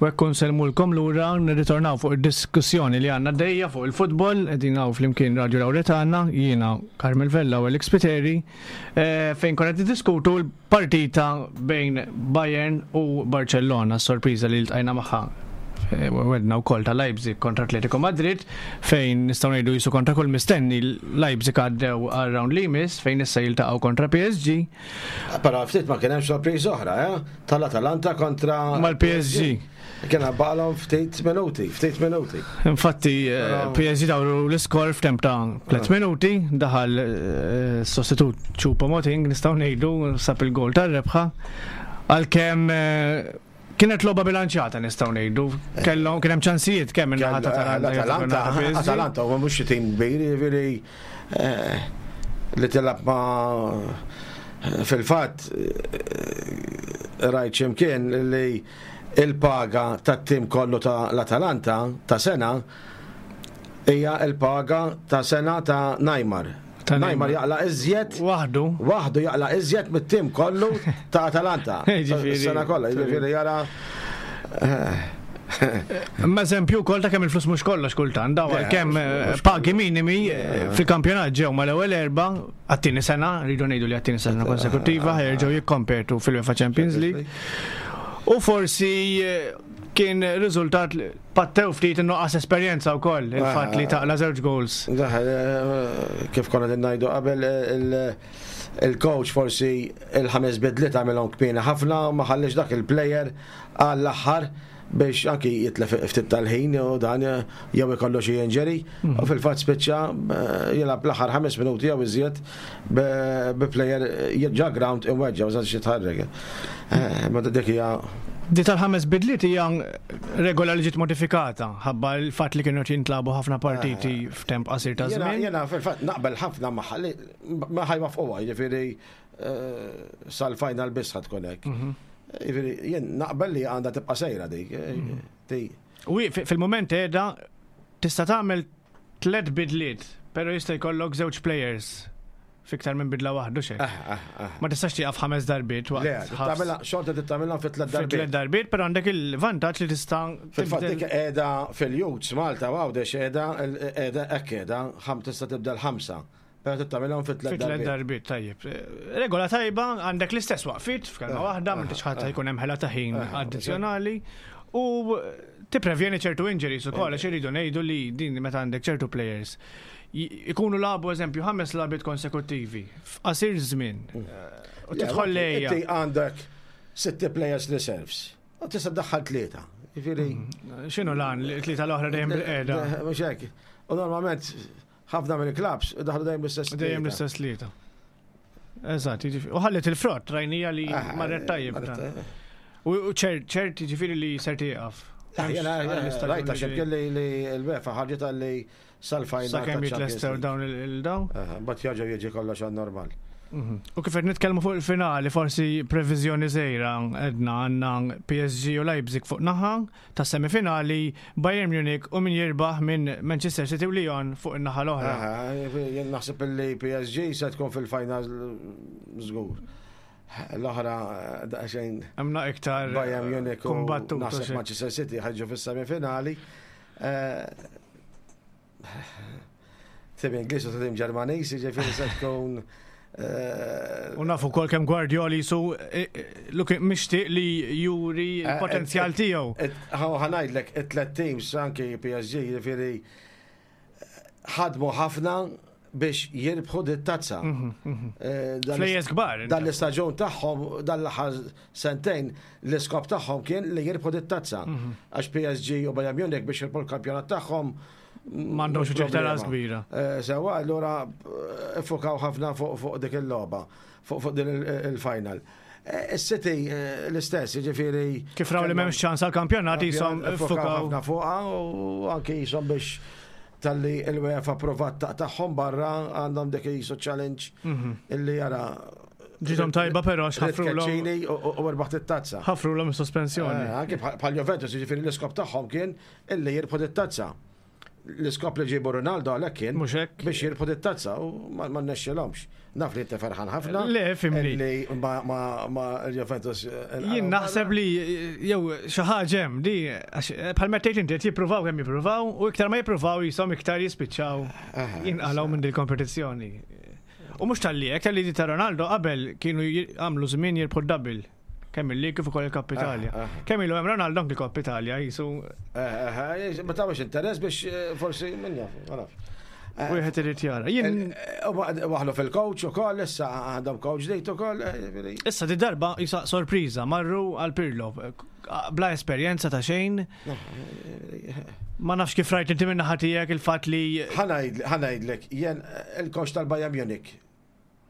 Speaker 1: U hekk nsellmulkom lura nirritornaw fuq id-diskussjoni li għandna dejja fuq il-futbol, qegħdin hawn flimkien Radio Lauretana, jiena Carmel Vella u Alex Piteri, eh, fejn konna niddiskutu l-partita bejn Bayern u Barcellona, sorpriża li ltqajna magħha. eh, wedna wkoll ta' Leipzig kontra Atletico Madrid fejn nistgħu ngħidu jisu kontra kull mistenni Leipzig għaddew għal round li jmiss fejn issa jiltaqgħu kontra PSG.
Speaker 2: Però ftit ma kien hemm sorpriża oħra, eh? Tal-Atalanta kontra
Speaker 1: mal-PSG.
Speaker 2: Kien baqalhom ftit minuti, ftit minuti.
Speaker 1: Infatti, eh, PSG dawru l-iskor f'temp ta' 3 ah. minuti, daħal eh, sostitut Choupo-Moting, nistgħu ngħidu sab il-gol tar-rebħa. Għalkemm eh, kienet logħba bilanċjata nistgħu ngħidu. Kellhom kien hemm ċansijiet kemm minn naħa ta'
Speaker 2: Atalanta. Atalanta huwa mhux xi tim kbir, jiġifieri li tilgħab ma' fil-fatt rajt x'imkien li Il-paga tat-tim kollu ta' l-Atalanta ta' sena hija l-paga ta' sena ta' Neymar. Neymar jaqla' iżjed.
Speaker 1: Waħdu.
Speaker 2: Waħdu jaqla' iżjed mit-tim kollu ta' Atalanta. Sena kollha, jiġifieri jara.
Speaker 1: Imma eżempju wkoll ta' kemm il-flus mhux kollox kultant, daw għalkemm pagi minimi fil-kampjonat ġew mal-ewwel erbgħa għat-tieni sena, rridu ngħidu li għat-tieni sena konsekuttiva ħerġgħu jikkompetu fil-UEFA Champions League. U forsi eh, kien riżultat pattew ftit in-nuqqas esperjenza wkoll il-fatt li taqla żewġ goals.
Speaker 2: Eh, kif konna din ngħidu qabel eh, il-coach forsi il-ħames bidliet għamilhom kmieni ħafna u ma ħallix dak il-player għall-aħħar biex anki jitlef ftit tal-ħin u dan jew ikollu xi injury mhm. u fil-fatt spiċċa eh, jilgħab l-aħħar ħames minuti jew iżjed bi player ġa ground imweġġa u xi tħarrek. Eh, ma dik hija
Speaker 1: Di tal-ħames bidliet hija regola li ġiet modifikata ħabba l-fatt li kienu jintlabu ħafna partiti eh, f'temp qasir ta' żmien.
Speaker 2: Jiena fil-fatt naqbel ħafna magħha li ma ħajwafquha, jiġifieri sal-final biss tkun hekk. Mhm. Jiġifieri jien naqbel li għandha tibqa' sejra dik. Eh,
Speaker 1: mhm. U fil-moment qiegħda tista' tagħmel tliet bidliet, però jista' jkollok żewġ players fiktar minn bidla waħdu xejn. Ah, ah, ah. Ma tistax tieqaf ħames darbiet
Speaker 2: waqt. Le, xorta tagħmilha fi tliet darbiet.
Speaker 1: Tliet darbiet, però għandek il-vantaġġ li tista'
Speaker 2: Fil-fatt dik qiegħda fil-Youths Malta Għawdex qiegħda qiegħda hekk qiegħda tista' tibdel ħamsa. Però trid tagħmilhom fi tliet
Speaker 1: darbiet. darbiet, tajjeb. Regola tajba, għandek l-istess waqfit f'kelma eh, waħda, ma tix ħadd eh, jkun hemm ħela ta' ħin eh, addizzjonali u tipprevjeni ċertu injuries ukoll għax iridu ngħidu li din meta għandek ċertu players ikunu labu eżempju ħames labiet konsekuttivi f'qasir żmien. Mm. U tidħol lejja.
Speaker 2: Inti għandek sitti players reserves. U tista' ddaħħal tlieta.
Speaker 1: Jiġifieri. Mm. X'inhu lan li tlieta l-oħra dejjem bil-qiegħda?
Speaker 2: Mhux hekk. U normalment Ħafna mill-klabs daħlu dejjem l-istess
Speaker 1: tlieta. Dejjem l-istess tlieta. Eżatt, jiġifieri. U ħallet il-frott, rajnija li ah, marret tajjeb. U ċert, ċert jiġifieri li ser tieqaf.
Speaker 2: Rajta xemkien li l-UEFA ħarġet għalli sal-final.
Speaker 1: Sakemm jitlestew dawn il-dawn.
Speaker 2: Bat jaġa jiġi kollox għan normal.
Speaker 1: Mhm. U kif qed nitkellmu fuq il-finali, forsi previżjoni żgħira edna għandna PSG u Leipzig fuq naħa, ta' semifinali, Bayern Munich u min jirbaħ minn Manchester City u Lyon fuq in-naħa l-oħra.
Speaker 2: Jien naħseb li PSG se tkun fil-final żgur. L-oħra daqsxejn.
Speaker 1: Għamna iktar
Speaker 2: Bayern Munich u naħseb Manchester City ħarġu fis-semifinali. Eh, Tim Ingliż u tim Ġermaniż, jiġifieri se tkun
Speaker 1: eh, U nafu kol kemm Guardiola jisu eh, eh, mixtieq li juri l-potenzjal tiegħu.
Speaker 2: Ħanajdlek it-tlet teams anki PSG jiġifieri ħadmu ħafna biex jirbħu dit tazza. Mhm,
Speaker 1: mhm. Flejjes kbar.
Speaker 2: Dan l-istaġun tagħhom dan l-aħħar sentejn l-iskop tagħhom kien li jirbħu dit tazza. Mhm. Għax PSG u Bayern Munich biex jirbħu l-kampjonat tagħhom
Speaker 1: M'għandhomx uġigħ ta' ras kbira.
Speaker 2: Eh, sewa, allura eh, fukaw ħafna fuq dik il-logħba, fuq din il-final. Eh, Is-City l-istess, jiġifieri.
Speaker 1: Kif raw li m'hemmx ċans għall-kampjonat jisom
Speaker 2: fukaw ħafna fuqha u anke jisom biex tal-li l-UEFA provat taqtagħhom barra għandhom dik jisu challenge mhm. illi jara
Speaker 1: Ġitom tajba però
Speaker 2: x'ħafru l u rbaħt it-tazza.
Speaker 1: Ħafru l sospensjoni.
Speaker 2: Anke bħal Juventus, jiġifieri l-iskop tagħhom kien Illi jirbħu dit-tazza. L-iskop li ġiebu Ronaldo għalhekk kien
Speaker 1: Mhux hekk.
Speaker 2: biex jirbħu dit-tazza u ma nnexxilhomx. Naf li inti ferħan ħafna.
Speaker 1: Le, fimni.
Speaker 2: Li ma ma Juventus.
Speaker 1: Jien naħseb li jew xi ħaġa hemm di għax bħal ma tgħid inti qed jippruvaw kemm jippruvaw u iktar ma jippruvaw jisom iktar jispiċċaw jinqalgħu minn dil-kompetizzjoni. U mhux talli hekk, talli di ta' Ronaldo qabel kienu għamlu żmien jirbħu d-double. Kemm il-League kif ukoll il-Kop Italja. Kemm ilu hemm Ronaldo anki Kop Italja jisu.
Speaker 2: Ma tawx interess biex forsi min jaf, ma nafx.
Speaker 1: Wieħed irid jara. Jien
Speaker 2: Waħlu fil-coach ukoll issa għandhom coach ġdid ukoll.
Speaker 1: Issa di darba jisa sorpriża marru għal Pirlo. Bla esperjenza ta' xejn. Ma nafx kif rajt inti minn naħa tiegħek il-fatt li
Speaker 2: Ħa ngħidlek, jien il-coach tal-Bayern Munich.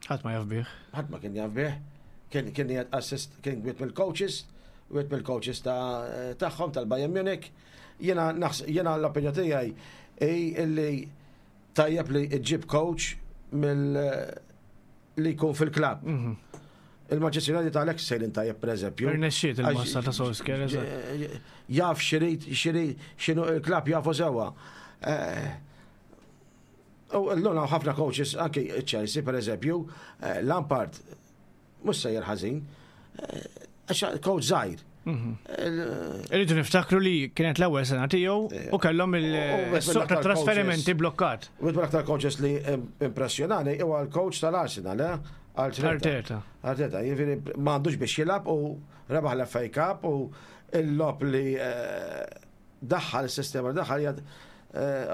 Speaker 1: Ħadd ma jaf bih.
Speaker 2: Ħadd ma kien jaf bih. Kien kien jgħid assist kien wieħed mill-coaches, wieħed mill-coaches ta' tagħhom tal-Bayern Munich. Jiena jiena l-opinjoni tiegħi hi illi tajjeb li ġġib coach mill li jkun fil-klabb. Il-Manchester United għalhekk sejrin tajjeb pereżempju.
Speaker 1: Irnexxiet il-massa ta' Solskjaer. eżatt.
Speaker 2: Jaf x'irid, x'irid, x'inhu il-klabb jafu sewwa. U l-lum hawn ħafna coaches, anki Chelsea per eżempju, Lampard, mhux sejjer ħażin, għax coach żgħir.
Speaker 1: Irridu niftakru li kienet l-ewwel sena tiegħu u kellhom il-suq ta' trasferimenti blokkat.
Speaker 2: U l-aktar coaches li impressjonani huwa l-coach tal-Arsenal, eh?
Speaker 1: Arteta.
Speaker 2: Arteta, jiġifieri m'għandux biex jilgħab u rebaħ l-FA Cup u l-logħob li daħħal is-sistema li daħħal hija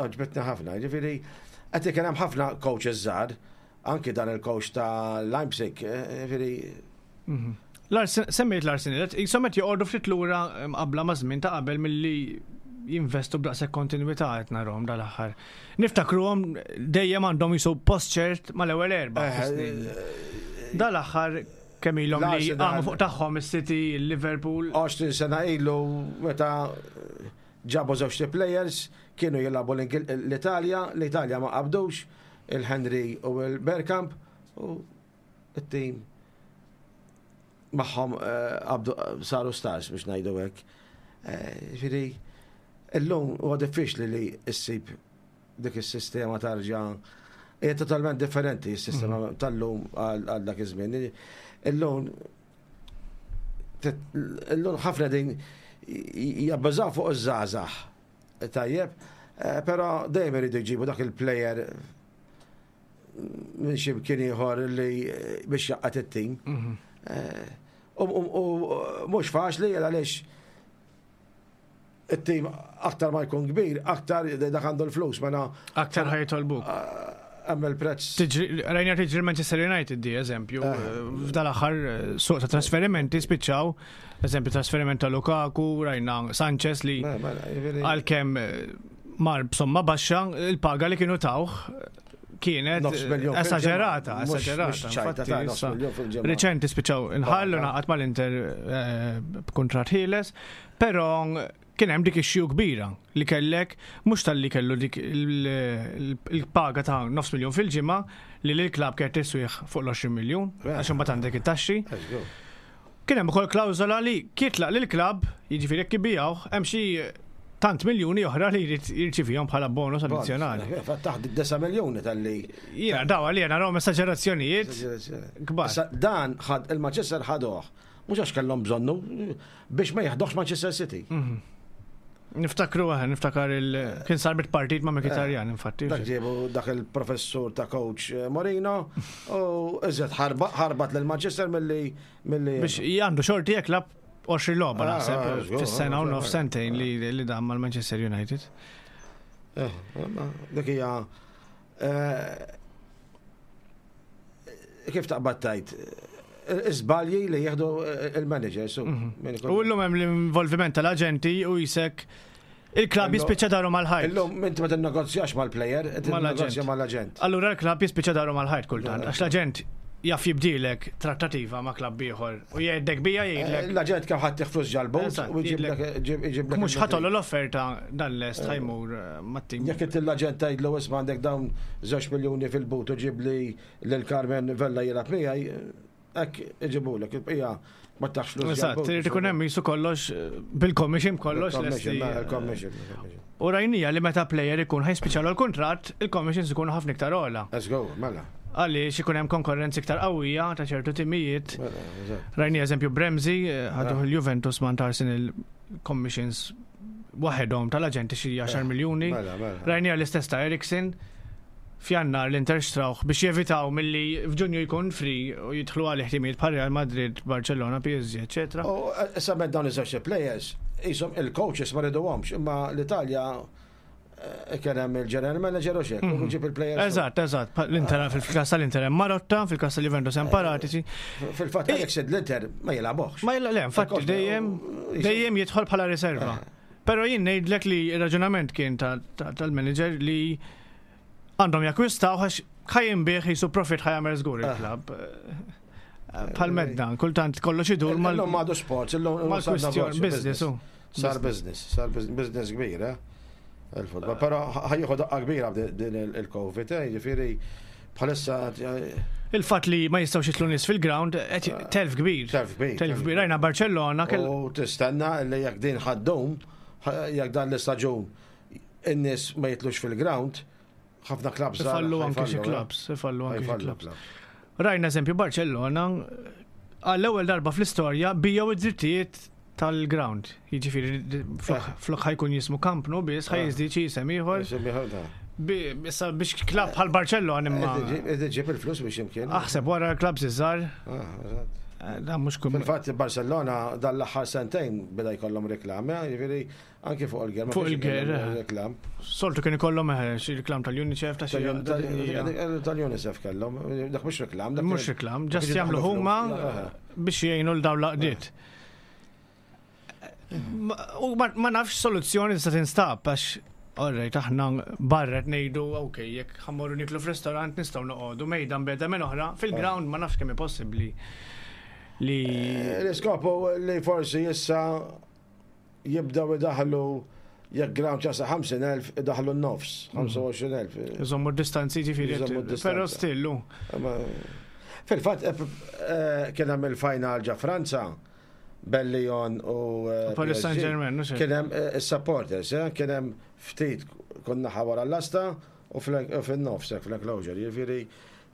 Speaker 2: għoġbitni ħafna. Jiġifieri qed kien hemm ħafna coaches żgħar, anki dan il-coach ta' Leipzig, jiġifieri.
Speaker 1: Semmejt l-Arsenal, jisom qed joqogħdu ftit lura qabla ma' żmien ta' qabel milli jinvestu b'daqshekk kontinwità qed narahom dal-aħħar. Niftakruhom dejjem għandhom jisu post ċert mal-ewwel erba'. Dal-aħħar kemm ilhom li għamu fuq tagħhom is-City, il-Liverpool.
Speaker 2: 20 sena ilu meta ġabu żewġ players kienu jilagħbu l-Italja, l-Italja ma qabdux, il-Henry u l-Bergkamp u it-team magħhom qabdu saru stars biex ngħidu hekk. Ġifieri illum huwa diffiċli li ssib dik is-sistema tarġa' hija totalment differenti s-sistema tal-lum għal dak iż-żmien. Illum illum ħafna din jabbażaw fuq iż-żgħażagħ. Tajjeb, però dejjem iridu jġibu dak il-player minn xi mkien ieħor li biex jaqgħad it-tim. U mhux faċli għaliex it-tim aktar ma jkun kbir, aktar dak għandu l-flus, mela.
Speaker 1: Aktar ħa jitolbuk.
Speaker 2: Hemm il-prezz.
Speaker 1: Rajna tiġri Manchester United di eżempju, f'dal-aħħar suq ta' trasferimenti spiċċaw, eżempju trasferiment ta' Lukaku, rajna Sanchez li għalkemm mar b'somma baxxa, il-paga li kienu tawh kienet esagerata, esagerata. Reċenti spiċċaw inħallu naqat mal-Inter b'kuntratt ħieles, però kien hemm dik ix kbira li kellek mhux talli kellu dik il-paga ta' nofs miljon fil-ġimgħa li l-klabb kienet tiswih fuq l-20 miljun għax imbagħad għandek it-taxxi. Kien hemm ukoll klawżola li kitlaq lil klabb, jiġifieri jekk ibijawh, hemm xi tant miljuni oħra li jrid jirċivihom bħala bonus addizzjonali.
Speaker 2: Taħt 9 miljuni talli.
Speaker 1: Jiena daw għalija narahom esagerazzjonijiet kbar.
Speaker 2: Dan ħad il-Manchester ħaduh, mhux għax kellhom bżonnu biex ma jaħduhx Manchester City.
Speaker 1: Niftakru għah, niftakar il kien sar bit-partit ma' Mkhitaryan, infatti.
Speaker 2: Dak ġiebu dak il-professur ta' coach Mourinho u iżjed ħarbat lil Manchester milli milli.
Speaker 1: Biex għandu xorti jekk lab 20 logħba naħseb fis-sena u nof sentejn li dam mal-Manchester United.
Speaker 2: Dik hija kif taqbad tajt iżbalji li jieħdu il-managers.
Speaker 1: U llum hemm l-involviment tal-aġenti u jisek il-klabb jispiċċa daru mal-ħajt.
Speaker 2: Illum inti ma tinnegozjax mal-player, tinnegozja mal-aġent.
Speaker 1: Allura l-klabb jispiċċa daru mal-ħajt kultant, għax l-aġent jaf jibdilek trattativa ma' klabb ieħor u jgħidlek bija jgħidlek.
Speaker 2: L-aġent kemm ħadd flus ġal-but u jġiblek.
Speaker 1: Mhux ħatollu l-offerta dan lest ħa jmur mat-tim.
Speaker 2: Jekk inti l-aġent tgħidlu isma' għandek dawn 2 miljuni fil-but u ġib li lil Carmen Vella jilgħab miegħi, hekk iġibulek, il-bqija ma taħx flus.
Speaker 1: Eżatt, irid ikun hemm jisu kollox bil-commission kollox.
Speaker 2: Il-commission.
Speaker 1: U rajnija li meta player ikun ħajspiċċalu l-kuntratt, il-commissions ikunu ħafna iktar ogħla.
Speaker 2: Let's go, mela.
Speaker 1: Għaliex ikun hemm konkurrenza iktar qawwija ta' ċertu timijiet. Rajni eżempju Bremzi, ħaduh il-Juventus ma' Arsenal commissions waħedhom tal-aġenti xi 10 miljuni. Rajnija l-istess ta' Eriksen. f'Jannar l-Inter xtrawh biex jevitaw milli f'Ġunju jkun free u jidħlu għalih timijiet bħal Real Madrid, Barcellona, PSG, eċetera.
Speaker 2: U issa met dawn iż-żewġ players, qishom il-coaches ma riduhomx, imma l-Italja eh, kien hemm il-general manager u xek, u mhm. ġib il-players.
Speaker 1: Eżatt, eżatt. L-Inter fil-każ tal-Inter hemm Marotta, fil-każ tal-Juventus hemm Paratici.
Speaker 2: Fil-fatt Alex l-Inter ma jilagħbuhx.
Speaker 1: Ma jilgħab, le, infatti dejjem dejjem jidħol bħala riserva. Eh. Però jien ngħidlek li r-raġunament kien tal-manager li għandhom jakkwistaw għax ħa jinbigħ jisu profit ħa jagħmel żgur il-klabb. Bħal medda, kultant kollox idur
Speaker 2: mal. Illum għadu sports, illum
Speaker 1: mal-kwistjon business.
Speaker 2: Sar business, sar business kbir, eh? Il-futbol. Però ħajjieħu daqqa kbira din il-Covid, eh? Jiġifieri bħalissa.
Speaker 1: Il-fatt li ma jistgħux jitlu nies fil-ground, telf kbir.
Speaker 2: Telf kbir.
Speaker 1: Telf kbir. Rajna Barcellona.
Speaker 2: U tistenna li jekk din ħaddum, jekk dan l-istaġun in-nies ma jitlux fil-ground, ħafna klabs.
Speaker 1: Ifallu anke xi klabs, ifallu anke xi klabs. Rajna eżempju Barcellona għall-ewwel darba fl-istorja bijaw id-drittijiet tal-ground. Jiġifieri eh. flok ħajkun jismu Camp Nou biss ħaj eh. jiżdied xi isem ieħor. Issa biex klab bħal Barcellona imma.
Speaker 2: Ġib il-flus biex imkien.
Speaker 1: Aħseb wara l-klabs iż-żgħar. Ah, eh, dan mhux
Speaker 2: kum. Fil-fatt Barcellona dan l-aħħar sentejn beda jkollhom reklami, jiġifieri anki fuq il-ger.
Speaker 1: Fuq il-ger. Reklam. Soltu kien ikollhom xi reklam tal-UNICEF ta'
Speaker 2: xi. Tal-UNICEF kellhom, dak mhux reklam.
Speaker 1: Mhux reklam, ġast jagħmlu huma biex jgħinu l dawn laqdiet. U ma nafx soluzzjoni tista' tinstab għax Alright, aħna barra ngħidu, ok, jekk ħammorru niklu f'restorant nistgħu noqogħdu mejda mbeda minn oħra, fil-ground ma nafx kemm possibbli li.
Speaker 2: Eh, l-iskopu li forsi issa jibdew idaħlu jekk ground ċasa 50,000 idaħlu n-nofs, 25,000.
Speaker 1: Iżommu d-distanzi ġifieri. Però stillu.
Speaker 2: Fil-fatt eh, eh, kien hemm il-final ġa Franza bel Lyon u
Speaker 1: eh, Paris Saint-Germain,
Speaker 2: kien hemm is-supporters, kien hemm ftit kun naħa wara l-lasta u fin-nofs fl-enclosure, jiġifieri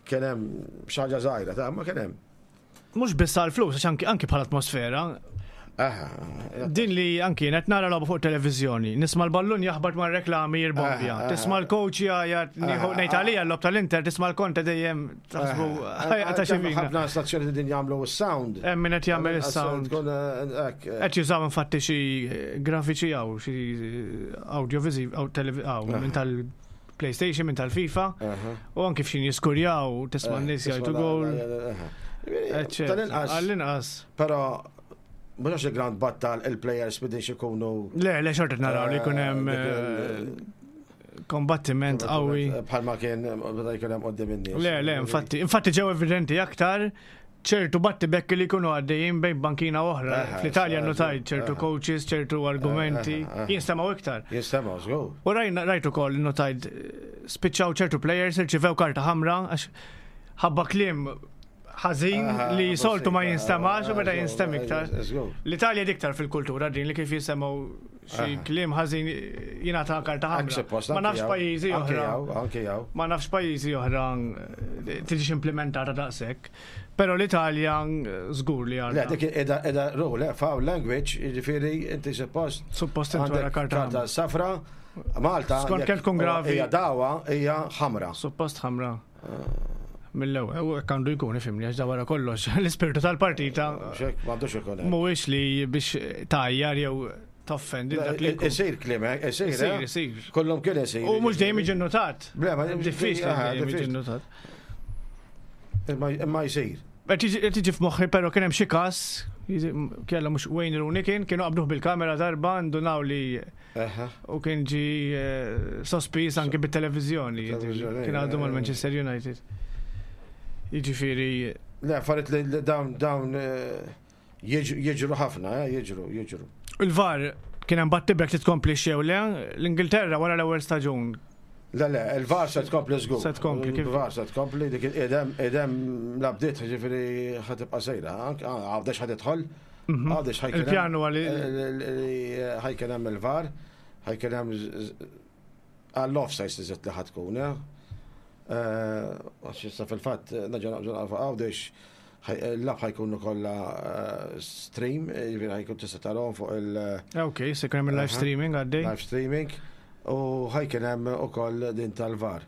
Speaker 2: kien hemm xi ħaġa żgħira ta' ma kien hemm.
Speaker 1: Mhux biss għall-flus, għax anki anki bħala atmosfera. Din li anki qed nara logħba fuq televiżjoni, nisma' l-ballun jaħbat mar-reklami jirbombja, tisma' l-coach jgħajjat ngħid għalija l-logħob tal-Inter, tisma' l-Conte dejjem taħsbu
Speaker 2: ta' xi Ħafna stazzjoni din jagħmlu s-sound.
Speaker 1: Hemm min qed jagħmel is-sound. Qed jużaw infatti xi grafiċi hawn xi audiovisiv minn tal PlayStation minn tal-FIFA u anki f'xin jiskurjaw tisma' n-nies jgħidu gol.
Speaker 2: Tal-inqas.
Speaker 1: Għall-inqas.
Speaker 2: Però mhux għax il-ground battal il-players bidin ikunu.
Speaker 1: Le, le xorta naraw li jkun hemm eh, eh, kombattiment qawwi.
Speaker 2: Bħalma kien meta jkun hemm qudiem in-nies.
Speaker 1: Le, le, infatti, infatti ġew evidenti aktar ċertu battibekki li jkunu għaddejjin bejn bankina oħra. Fl-Italja notajt ċertu coaches, ċertu argumenti, jinstemaw iktar.
Speaker 2: Jinstemaw, żgur.
Speaker 1: U rajna rajt ukoll notajt spiċċaw ċertu players irċivew karta ħamra għax ħabba kliem ħażin li soltu ma jinstemax u meta jinstem iktar. L-Italja diktar fil-kultura din li kif jisemgħu xi kliem ħażin jingħata karta ħamra. Ma nafx pajjiżi oħra. Ma nafx pajjiżi oħra eh, tiġix implementata daqshekk. Però l-Italja żgur li
Speaker 2: għandha. Le, dik qiegħda qiegħda rule, eh, foul language, jiġifieri inti suppost.
Speaker 1: Suppost inti wara
Speaker 2: karta. Karta safra, Malta.
Speaker 1: Skont kemm tkun gravi.
Speaker 2: Hija dawa, hija ħamra.
Speaker 1: Suppost ħamra. Mill-ewwel, u hekk għandu jkun ifhimni għax da wara kollox l-ispirtu tal-partita.
Speaker 2: M'għandux ikun.
Speaker 1: Mhuwiex li biex tajjar jew toffendi
Speaker 2: dak li. Isir kliem, eh, isir.
Speaker 1: Isir,
Speaker 2: eh?
Speaker 1: isir.
Speaker 2: Kollhom kien isir.
Speaker 1: U mhux dejjem jiġi notat. Diffiċli dejjem jiġi notat.
Speaker 2: Imma jsir.
Speaker 1: Qed jiġi f'moħħi però kien hemm xi każ kella mhux Wayne Rooney kien kienu qabduh bil-kamera darba ndunaw li u kien ġi eh, sospiż anke bit-televiżjoni. Kien għadu mal-Manchester United. Jiġifieri.
Speaker 2: Le, affarijiet li dawn dawn eh, jiġru ħafna, eh, jiġru, jiġru.
Speaker 1: Il-VAR kien hemm battibek li tkompli xew le, l-Ingilterra wara l-ewwel staġun.
Speaker 2: Le, le, il-VAR se tkompli żgur.
Speaker 1: Se tkompli
Speaker 2: kif? Il-VAR se tkompli dik idem idem la bdiet ġifieri ħa tibqa' sejra. Għawdex ħa tidħol. Mhm. Għawdex ħajkun.
Speaker 1: Il-pjanu għal
Speaker 2: ħajkun hemm il-VAR, ħajkun hemm għall-offside iżid li ħa tkun, eh? Eh, għax issa fil-fatt naġa naqbżu naqfu għawdex l-lab ħajkunu kollha eh, stream, jiġifieri ħajkun tista' tarahom fuq il-
Speaker 1: Ok, se jkun hemm il-live streaming għaddej.
Speaker 2: Live streaming u ħajkun hemm ukoll din tal-VAR.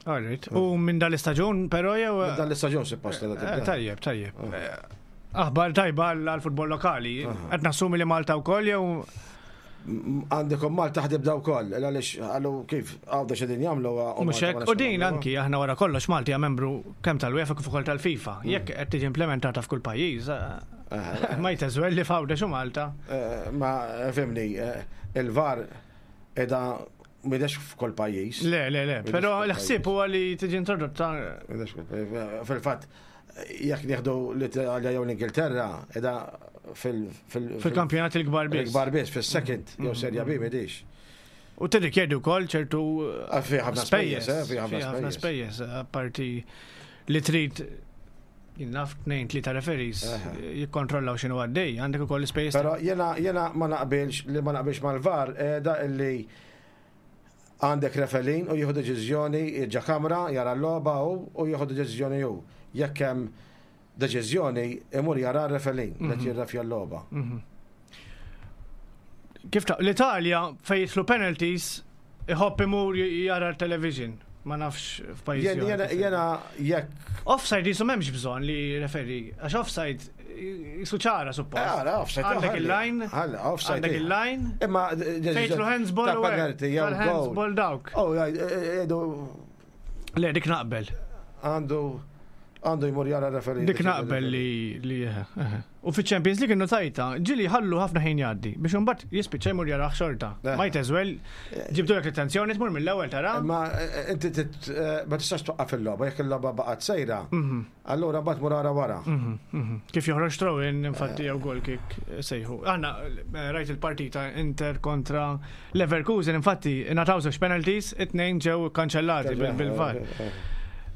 Speaker 1: Alright. U minn dal-istaġun, però jew.
Speaker 2: Minn dal-istaġun suppost
Speaker 1: eh, Tajjeb, tajjeb. Eh, aħbar tajba għall-futbol lokali. Qed nassumi li Malta wkoll jew
Speaker 2: għandekom Malta ħdib daw koll, għalix għallu kif għawda xedin jamlu.
Speaker 1: Mux hekk, u din anki aħna wara kollox Malti hija membru kemm tal-UEFA kif ukoll tal-FIFA. Mm. Jekk qed tiġi implementata f'kull pajjiż, eh, ma jteżwel li f'Għawdex u Malta.
Speaker 2: Ma fimni, il-VAR edha Midex f'kull pajjiż.
Speaker 1: Le, le, le, però l-ħsieb huwa li tiġi introdotta.
Speaker 2: Fil-fatt, jekk nieħdu l-Italja jew l-Ingilterra, edha
Speaker 1: fil- Fil-kampjonat il-kbar biss.
Speaker 2: Il-kbar biss, fis-second, jew mm. Serja B midix.
Speaker 1: U tirrikjedi wkoll ċertu
Speaker 2: ah, ħafna spejjeż, eh, fi
Speaker 1: ħafna spejjeż, apparti li trid naf tnejn tlieta referees jikkontrollaw x'inhu għaddej, għandek ukoll l-ispejjeż.
Speaker 2: Però jiena jiena ma naqbilx li ma naqbilx mal-VAR eh, da illi għandek referee u jieħu deċiżjoni ġa kamra jara l-logħba hu u jieħu deċiżjoni hu. Jekk hemm deċiżjoni imur jara r-referee li qed mhm. jirrefja l-logħba.
Speaker 1: Mhm. Kif ta' l-Italja fejn jidħlu penalties iħobb imur jara l-television. Ma nafx
Speaker 2: f'pajjiż. Jena jekk.
Speaker 1: Offside jisu m'hemmx bżonn li referi, għax offside jisu ċara suppost.
Speaker 2: Għara, offside.
Speaker 1: Għandek il-line.
Speaker 2: Offside.
Speaker 1: Għandek il-line.
Speaker 2: Imma
Speaker 1: fejtlu handsball u
Speaker 2: handball
Speaker 1: dawk.
Speaker 2: Oh, edu.
Speaker 1: Le, dik naqbel.
Speaker 2: Għandu għandu jmur jara referi.
Speaker 1: Dik naqbel li li U fiċ-Champions League innotajtha, ġieli jħallu ħafna ħin jgħaddi biex imbagħad jispiċċa jmur jarah xorta. Eh. Might as well ġibdulek l-attenzjoni tmur mill-ewwel tara.
Speaker 2: Ma eh, inti eh, ma tistax twaqqaf il-logħba jekk il-logħba baqgħet sejra. Mhm. Allura mbagħad mur ara wara.
Speaker 1: Mhm, mhm. Kif joħroġ throw-in infatti jew goal kick sejħu. Aħna rajt il-partita Inter kontra Leverkusen infatti ingħataw żewġ penalties, it-tnejn ġew kanċellati bil-VAR.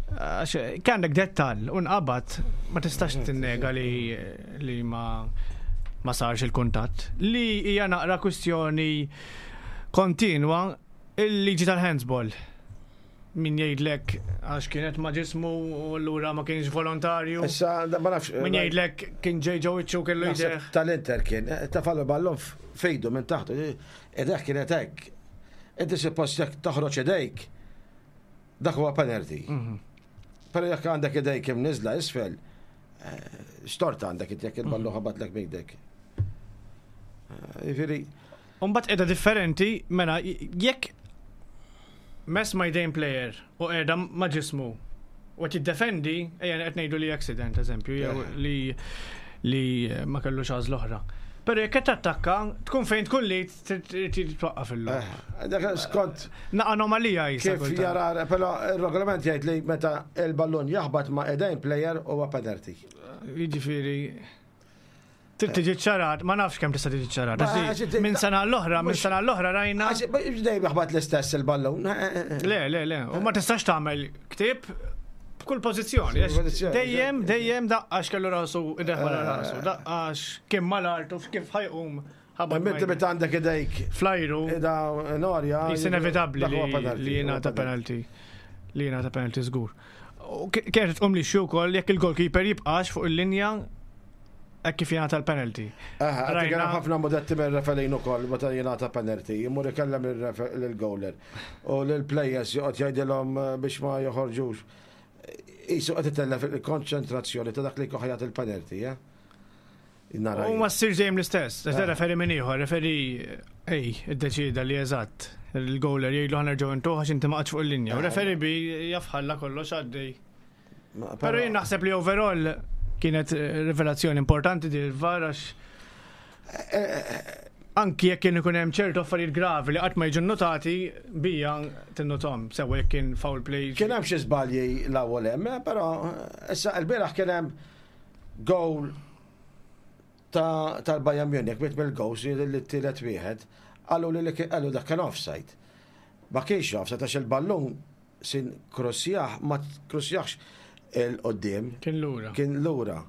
Speaker 1: Għax għandek dettal u nqabad ma tistax tinnega li li ma ma sarx il-kuntatt. Li hija naqra kwistjoni kontinwa il-liġi tal-handsball. Min jgħidlek għax kienet ma' ġismu u allura ma kienx volontarju.
Speaker 2: Issa, ma nafx.
Speaker 1: Min jgħidlek kien ġej ġo wiċċu kellu jdejh.
Speaker 2: Tal-Inter kien, eh, tafallu ballon fejdu minn taħt, ideh kienet hekk. Inti suppost jekk toħroġ idejk, dak huwa penalty. Mhm. Però jekk għandek idejk imniżla isfel, eh, x'tort għandek jekk il-ballu mhm. ħabatlek b'idek. Eh, jiġifieri.
Speaker 1: Umbat edha differenti, mela jekk mess ma' jdejn player u qiegħda ma' ġismu u qed jiddefendi, ejja qed ngħidu li accident eżempju, jew li li ma kellux għażla oħra. Però jekk qed tattakka, tkun fejn tkun li trid twaqqaf il-logħob.
Speaker 2: Eh, dak skont.
Speaker 1: Na anomalija
Speaker 2: jisa. Kif jara, però il-regolament jgħid li meta il-ballun jaħbat ma' idejn player huwa penalty.
Speaker 1: Jiġifieri Trid tiġi ċarat, ma nafx kemm tista' tiġi ċarat. Minn sena l-oħra, minn sena l-oħra rajna.
Speaker 2: Dejjem jaħbat l-istess il-ballun.
Speaker 1: Le, le, le. U ma tistax tagħmel ktieb b'kull pożizzjoni. Dejjem, dejjem daqqax kellu rasu ideħ wara eh. rasu, daqqax kien mal-art u kif ħajqum.
Speaker 2: Meta meta għandek idejk.
Speaker 1: Flajru.
Speaker 2: Ida norja.
Speaker 1: Jis inevitabbli li jingħata penalty. Li jingħata penalty żgur. U kienet tqum li xi wkoll jekk il-goalkeeper jibqax fuq il-linja hekk kif jingħata l-penalty.
Speaker 2: Rajna ħafna mudetti minn referin ukoll meta jingħata penalty, jmur ikellem lill-goaler u lill-players joqgħod jgħidilhom eh, biex ma joħorġux. Isu qed itellef il-konċentrazzjoni ta' dak li jkun il-penalty, eh?
Speaker 1: U ma ssirx dejjem l-istess, għax eh. referi minn ieħor, referi ej, iddeċida li eżatt il-goaler jgħidlu ħanerġgħu intuħ għax inti ma fuq il-linja. U eh. referi bi jafħalla kollox għaddej. Pero jien naħseb li overall kienet eh, rivelazzjoni importanti di l-VAR għax eh, eh, anki jekk kien ikun hemm ċertu affarijiet gravi li qatt ma jiġu notati bija tinnotom sewa jekk kien foul play.
Speaker 2: Kien hemm xi żbalji l-ewwel hemm, però issa l-bieraħ kien hemm goal tal-Bayern Munich mit mill-goals li t-tielet wieħed qalu li qalu dak kien offside. Ma kienx offside għax il-ballun Sin krossjah ma krossjahx 'il quddiem.
Speaker 1: Kien lura.
Speaker 2: Kien lura.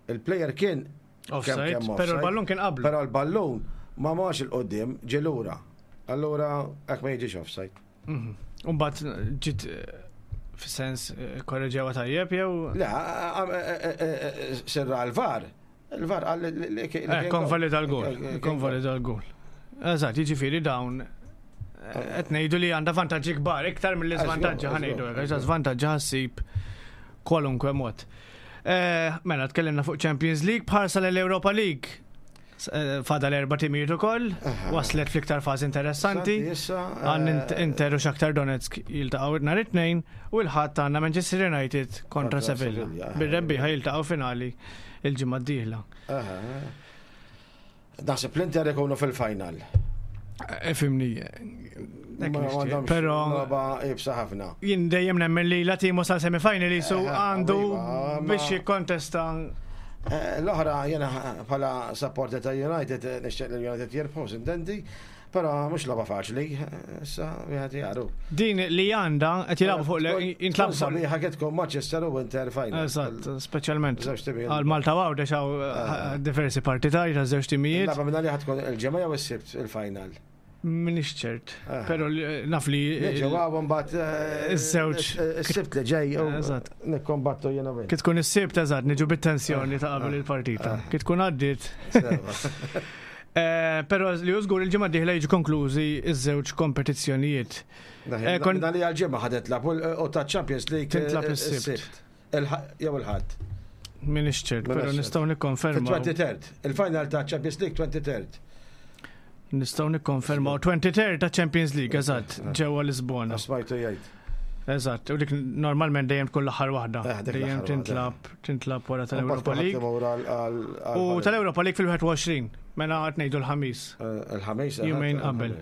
Speaker 2: Il-player kien
Speaker 1: offside, però l-ballun kien qablu.
Speaker 2: Però l-ballun ma marx 'il quddiem, ġie lura. Allura hekk ma jiġix offside.
Speaker 1: Mhm. U mbagħad ġiet eh, fis-sens eh, korreġewha tajjeb jew?
Speaker 2: Le, eh, sirra l-VAR. Il-VAR qal li
Speaker 1: Konvalida l-gol. Konvalida l-gol. Eżatt, jiġifieri dawn. Qed ngħidu li għandha vantaġġi kbar, iktar mill-iżvantaġġi ħa ngħidu hekk, għax żvantaġġi ħassib kwalunkwe mod. Eh, mela, tkellimna fuq Champions League, bħarsa l-Europa League. Eh, fada l-erba timijiet ukoll, waslet fl-iktar fażi interessanti. Għan eh, Inter u Shakhtar Donetsk jiltaqgħu nhar it-tnejn u l-ħadd għandna Manchester United kontra Sevilla. Bir-rebbieħa jiltaqgħu finali il-ġimgħa d-dieħla.
Speaker 2: Naħseb l-Inter ikunu fil-final.
Speaker 1: Eh, fimni. Pero.
Speaker 2: Ibsa ħafna.
Speaker 1: Jien dejjem nemmen li la timu sal semifinal jisu eh, għandu iva, biex jikkontesta.
Speaker 2: Eh, l-oħra jena bħala supporter ta' United nixtieq li United jirbħu sintendi. Però mhux logħba faċli, issa wieħed jaru.
Speaker 1: Din li għandha qed jilagħbu fuq
Speaker 2: jintlab sabiħa kif tkun Manchester u Inter final.
Speaker 1: Eżatt, speċjalment. Għal Malta Għawdex hawn eh, diversi partitarji ta' żewġ timijiet.
Speaker 2: Lagħba minn għalija tkun il-ġimgħa jew is-Sibt il-final.
Speaker 1: Minix ċert, eh. pero naf li.
Speaker 2: Ġewwa mbagħad eh,
Speaker 1: iż-żewġ.
Speaker 2: Is-Sibt li ġej. Eżatt. Nikkombattu jiena
Speaker 1: Kif tkun is-Sibt eżatt, niġu bit-tensjoni ta' qabel il-partita. Kif tkun għaddiet. Eh, però li użgur il-ġimgħa d-dieħla jiġu konklużi iż-żewġ kompetizzjonijiet.
Speaker 2: Eh, kon li għal-ġimgħa ħadet lab u ta' Champions League
Speaker 1: tintlab eh, is-sibt.
Speaker 2: Jew il-ħadd.
Speaker 1: Minix ċert, però nistgħu nikkonfermaw.
Speaker 2: 23rd, il-final ta' Champions League 23rd.
Speaker 1: Nistgħu nikkonfermaw 23rd ta' Champions League, eżatt, ġewwa Lisbona.
Speaker 2: Smajtu jgħid.
Speaker 1: Eżatt, u dik normalment dejjem tkun l-aħħar waħda. Eh, dejjem tintlab tintlab wara tal-Europa League. U tal-Europa League fil-21, mela qed ngħidu l-ħamis.
Speaker 2: Eh, il-ħamis.
Speaker 1: Eh, Jumejn qabel.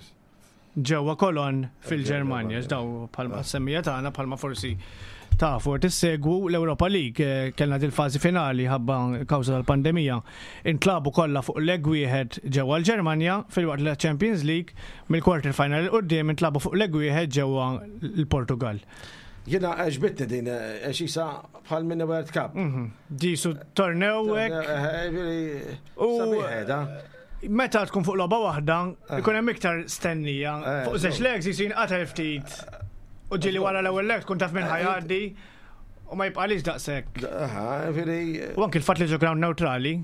Speaker 1: Ġewwa Kolon fil-Ġermanja, x'daw bħalma semmija tagħna bħalma forsi tafu tissegwu l-Europa League kellna dil-fażi finali ħabba kawża tal-pandemija. Intlabu kollha fuq leg wieħed ġewwa l-Ġermanja filwaqt li Champions League Mill-quarter final 'il quddiem intlagħbu fuq leg wieħed ġewwa l-Portugall.
Speaker 2: Jiena għeġbitni din għax isa bħal mini World Cup.
Speaker 1: Mhm. Ġisu tornew hekk.
Speaker 2: Eh, eh, u qiegħda.
Speaker 1: Meta tkun fuq logħba waħda, eh. ikun hemm iktar stennija. Fuq żewġ legs jisu jinqatel ftit. U ġieli wara l-ewwel leg tkun taf minn ħajgħaddi. U ma jibqalix daqshekk. U anki l-fatt li ġo ground neutrali,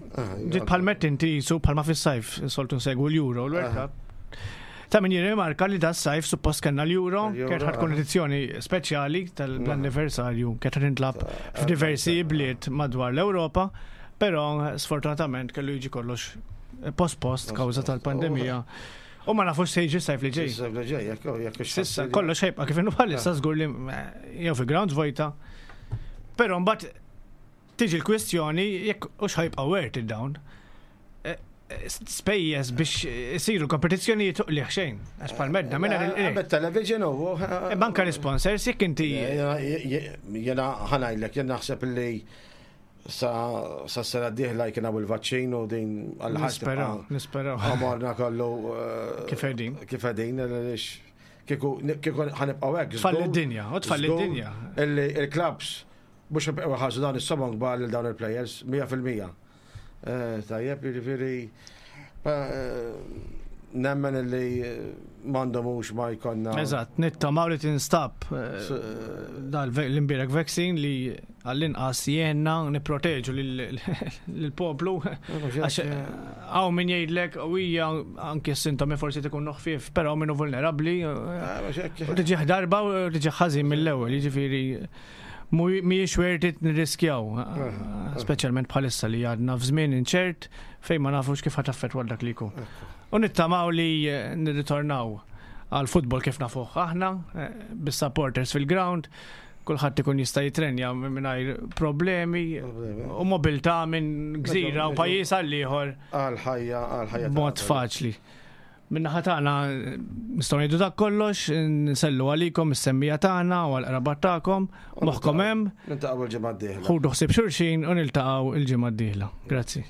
Speaker 1: ġiet bħal mett inti jisu bħalma fis-sajf soltu nsegwu l-Euro, l-World Cup. Ta' min jirrimarka li da sajf suppost kellna l-Euro, kienet ħad tkun edizzjoni speċjali tal-anniversarju, kienet ħad tintlab f'diversi bliet madwar l-Ewropa, però sfortunatament kellu jiġi kollox post-post kawża tal-pandemija. U ma nafux se jiġi sajf li ġej.
Speaker 2: Sajf li ġej, jekk jekk
Speaker 1: Sissa kollox ħejbqa kif inhu bħalissa żgur li eh, jew fi grounds vojta. Però mbagħad tiġi l-kwistjoni jekk hux ħajbqa' worth it dawn. Eh, eh, spejjeż biex isiru kompetizzjonijiet uqliħ xejn. Għax bħal medda minn
Speaker 2: il television u.
Speaker 1: Banka l-sponsors jekk inti.
Speaker 2: Jena ħanajlek, jena naħseb li Sa s-sena d-dieħla jkun hawn il-vaċċin u din
Speaker 1: għal Nisperaw, nisperaw.
Speaker 2: Għamorna kollu. Eh,
Speaker 1: kif qegħdin.
Speaker 2: Kif qegħdin, għaliex kieku ħanibqgħu hekk.
Speaker 1: Tfalli d-dinja, u tfalli d-dinja.
Speaker 2: Il-klabs mhux ħabqgħu ħasu dawn is-somom kbar lil dawn il-players 100%. Eh, tajjeb, jiġifieri eh, nemmen li m'għandhomux ma jkollna.
Speaker 1: Eżatt, nittamaw li tinstab eh, dal l-imbierek vaccine li għall-inqas jenna nipproteġu lill-poplu. Għax hawn min jgħidlek u hija anke s-sintomi forsi tkun ħfief, però minnu vulnerabbli. U tiġi darba u tiġi ħażin mill-ewwel, jiġifieri mhijiex worth it nirriskjaw, speċjalment bħalissa li għadna f'żmien inċert fejn ma nafux kif ħa taffettwa dak li jkun. U nittamaw li nirritornaw għal futbol kif nafuh aħna, eh, bis-supporters fil-ground, kulħadd ikun jista' jitrenja mingħajr problemi u mobilità minn gżira u pajjiż għal ieħor.
Speaker 2: Għal ħajja, għal ħajja.
Speaker 1: Mod faċli. Min-naħa tagħna nistgħu ngħidu dak kollox, nsellu għalikom is-semmija tagħna u għall-qrabat tagħkom, moħħkom hemm.
Speaker 2: Niltaqgħu il-ġimgħa d-dieħla.
Speaker 1: Ħudu ħsieb xulxin u niltaqgħu il-ġimgħa d-dieħla. Grazzi.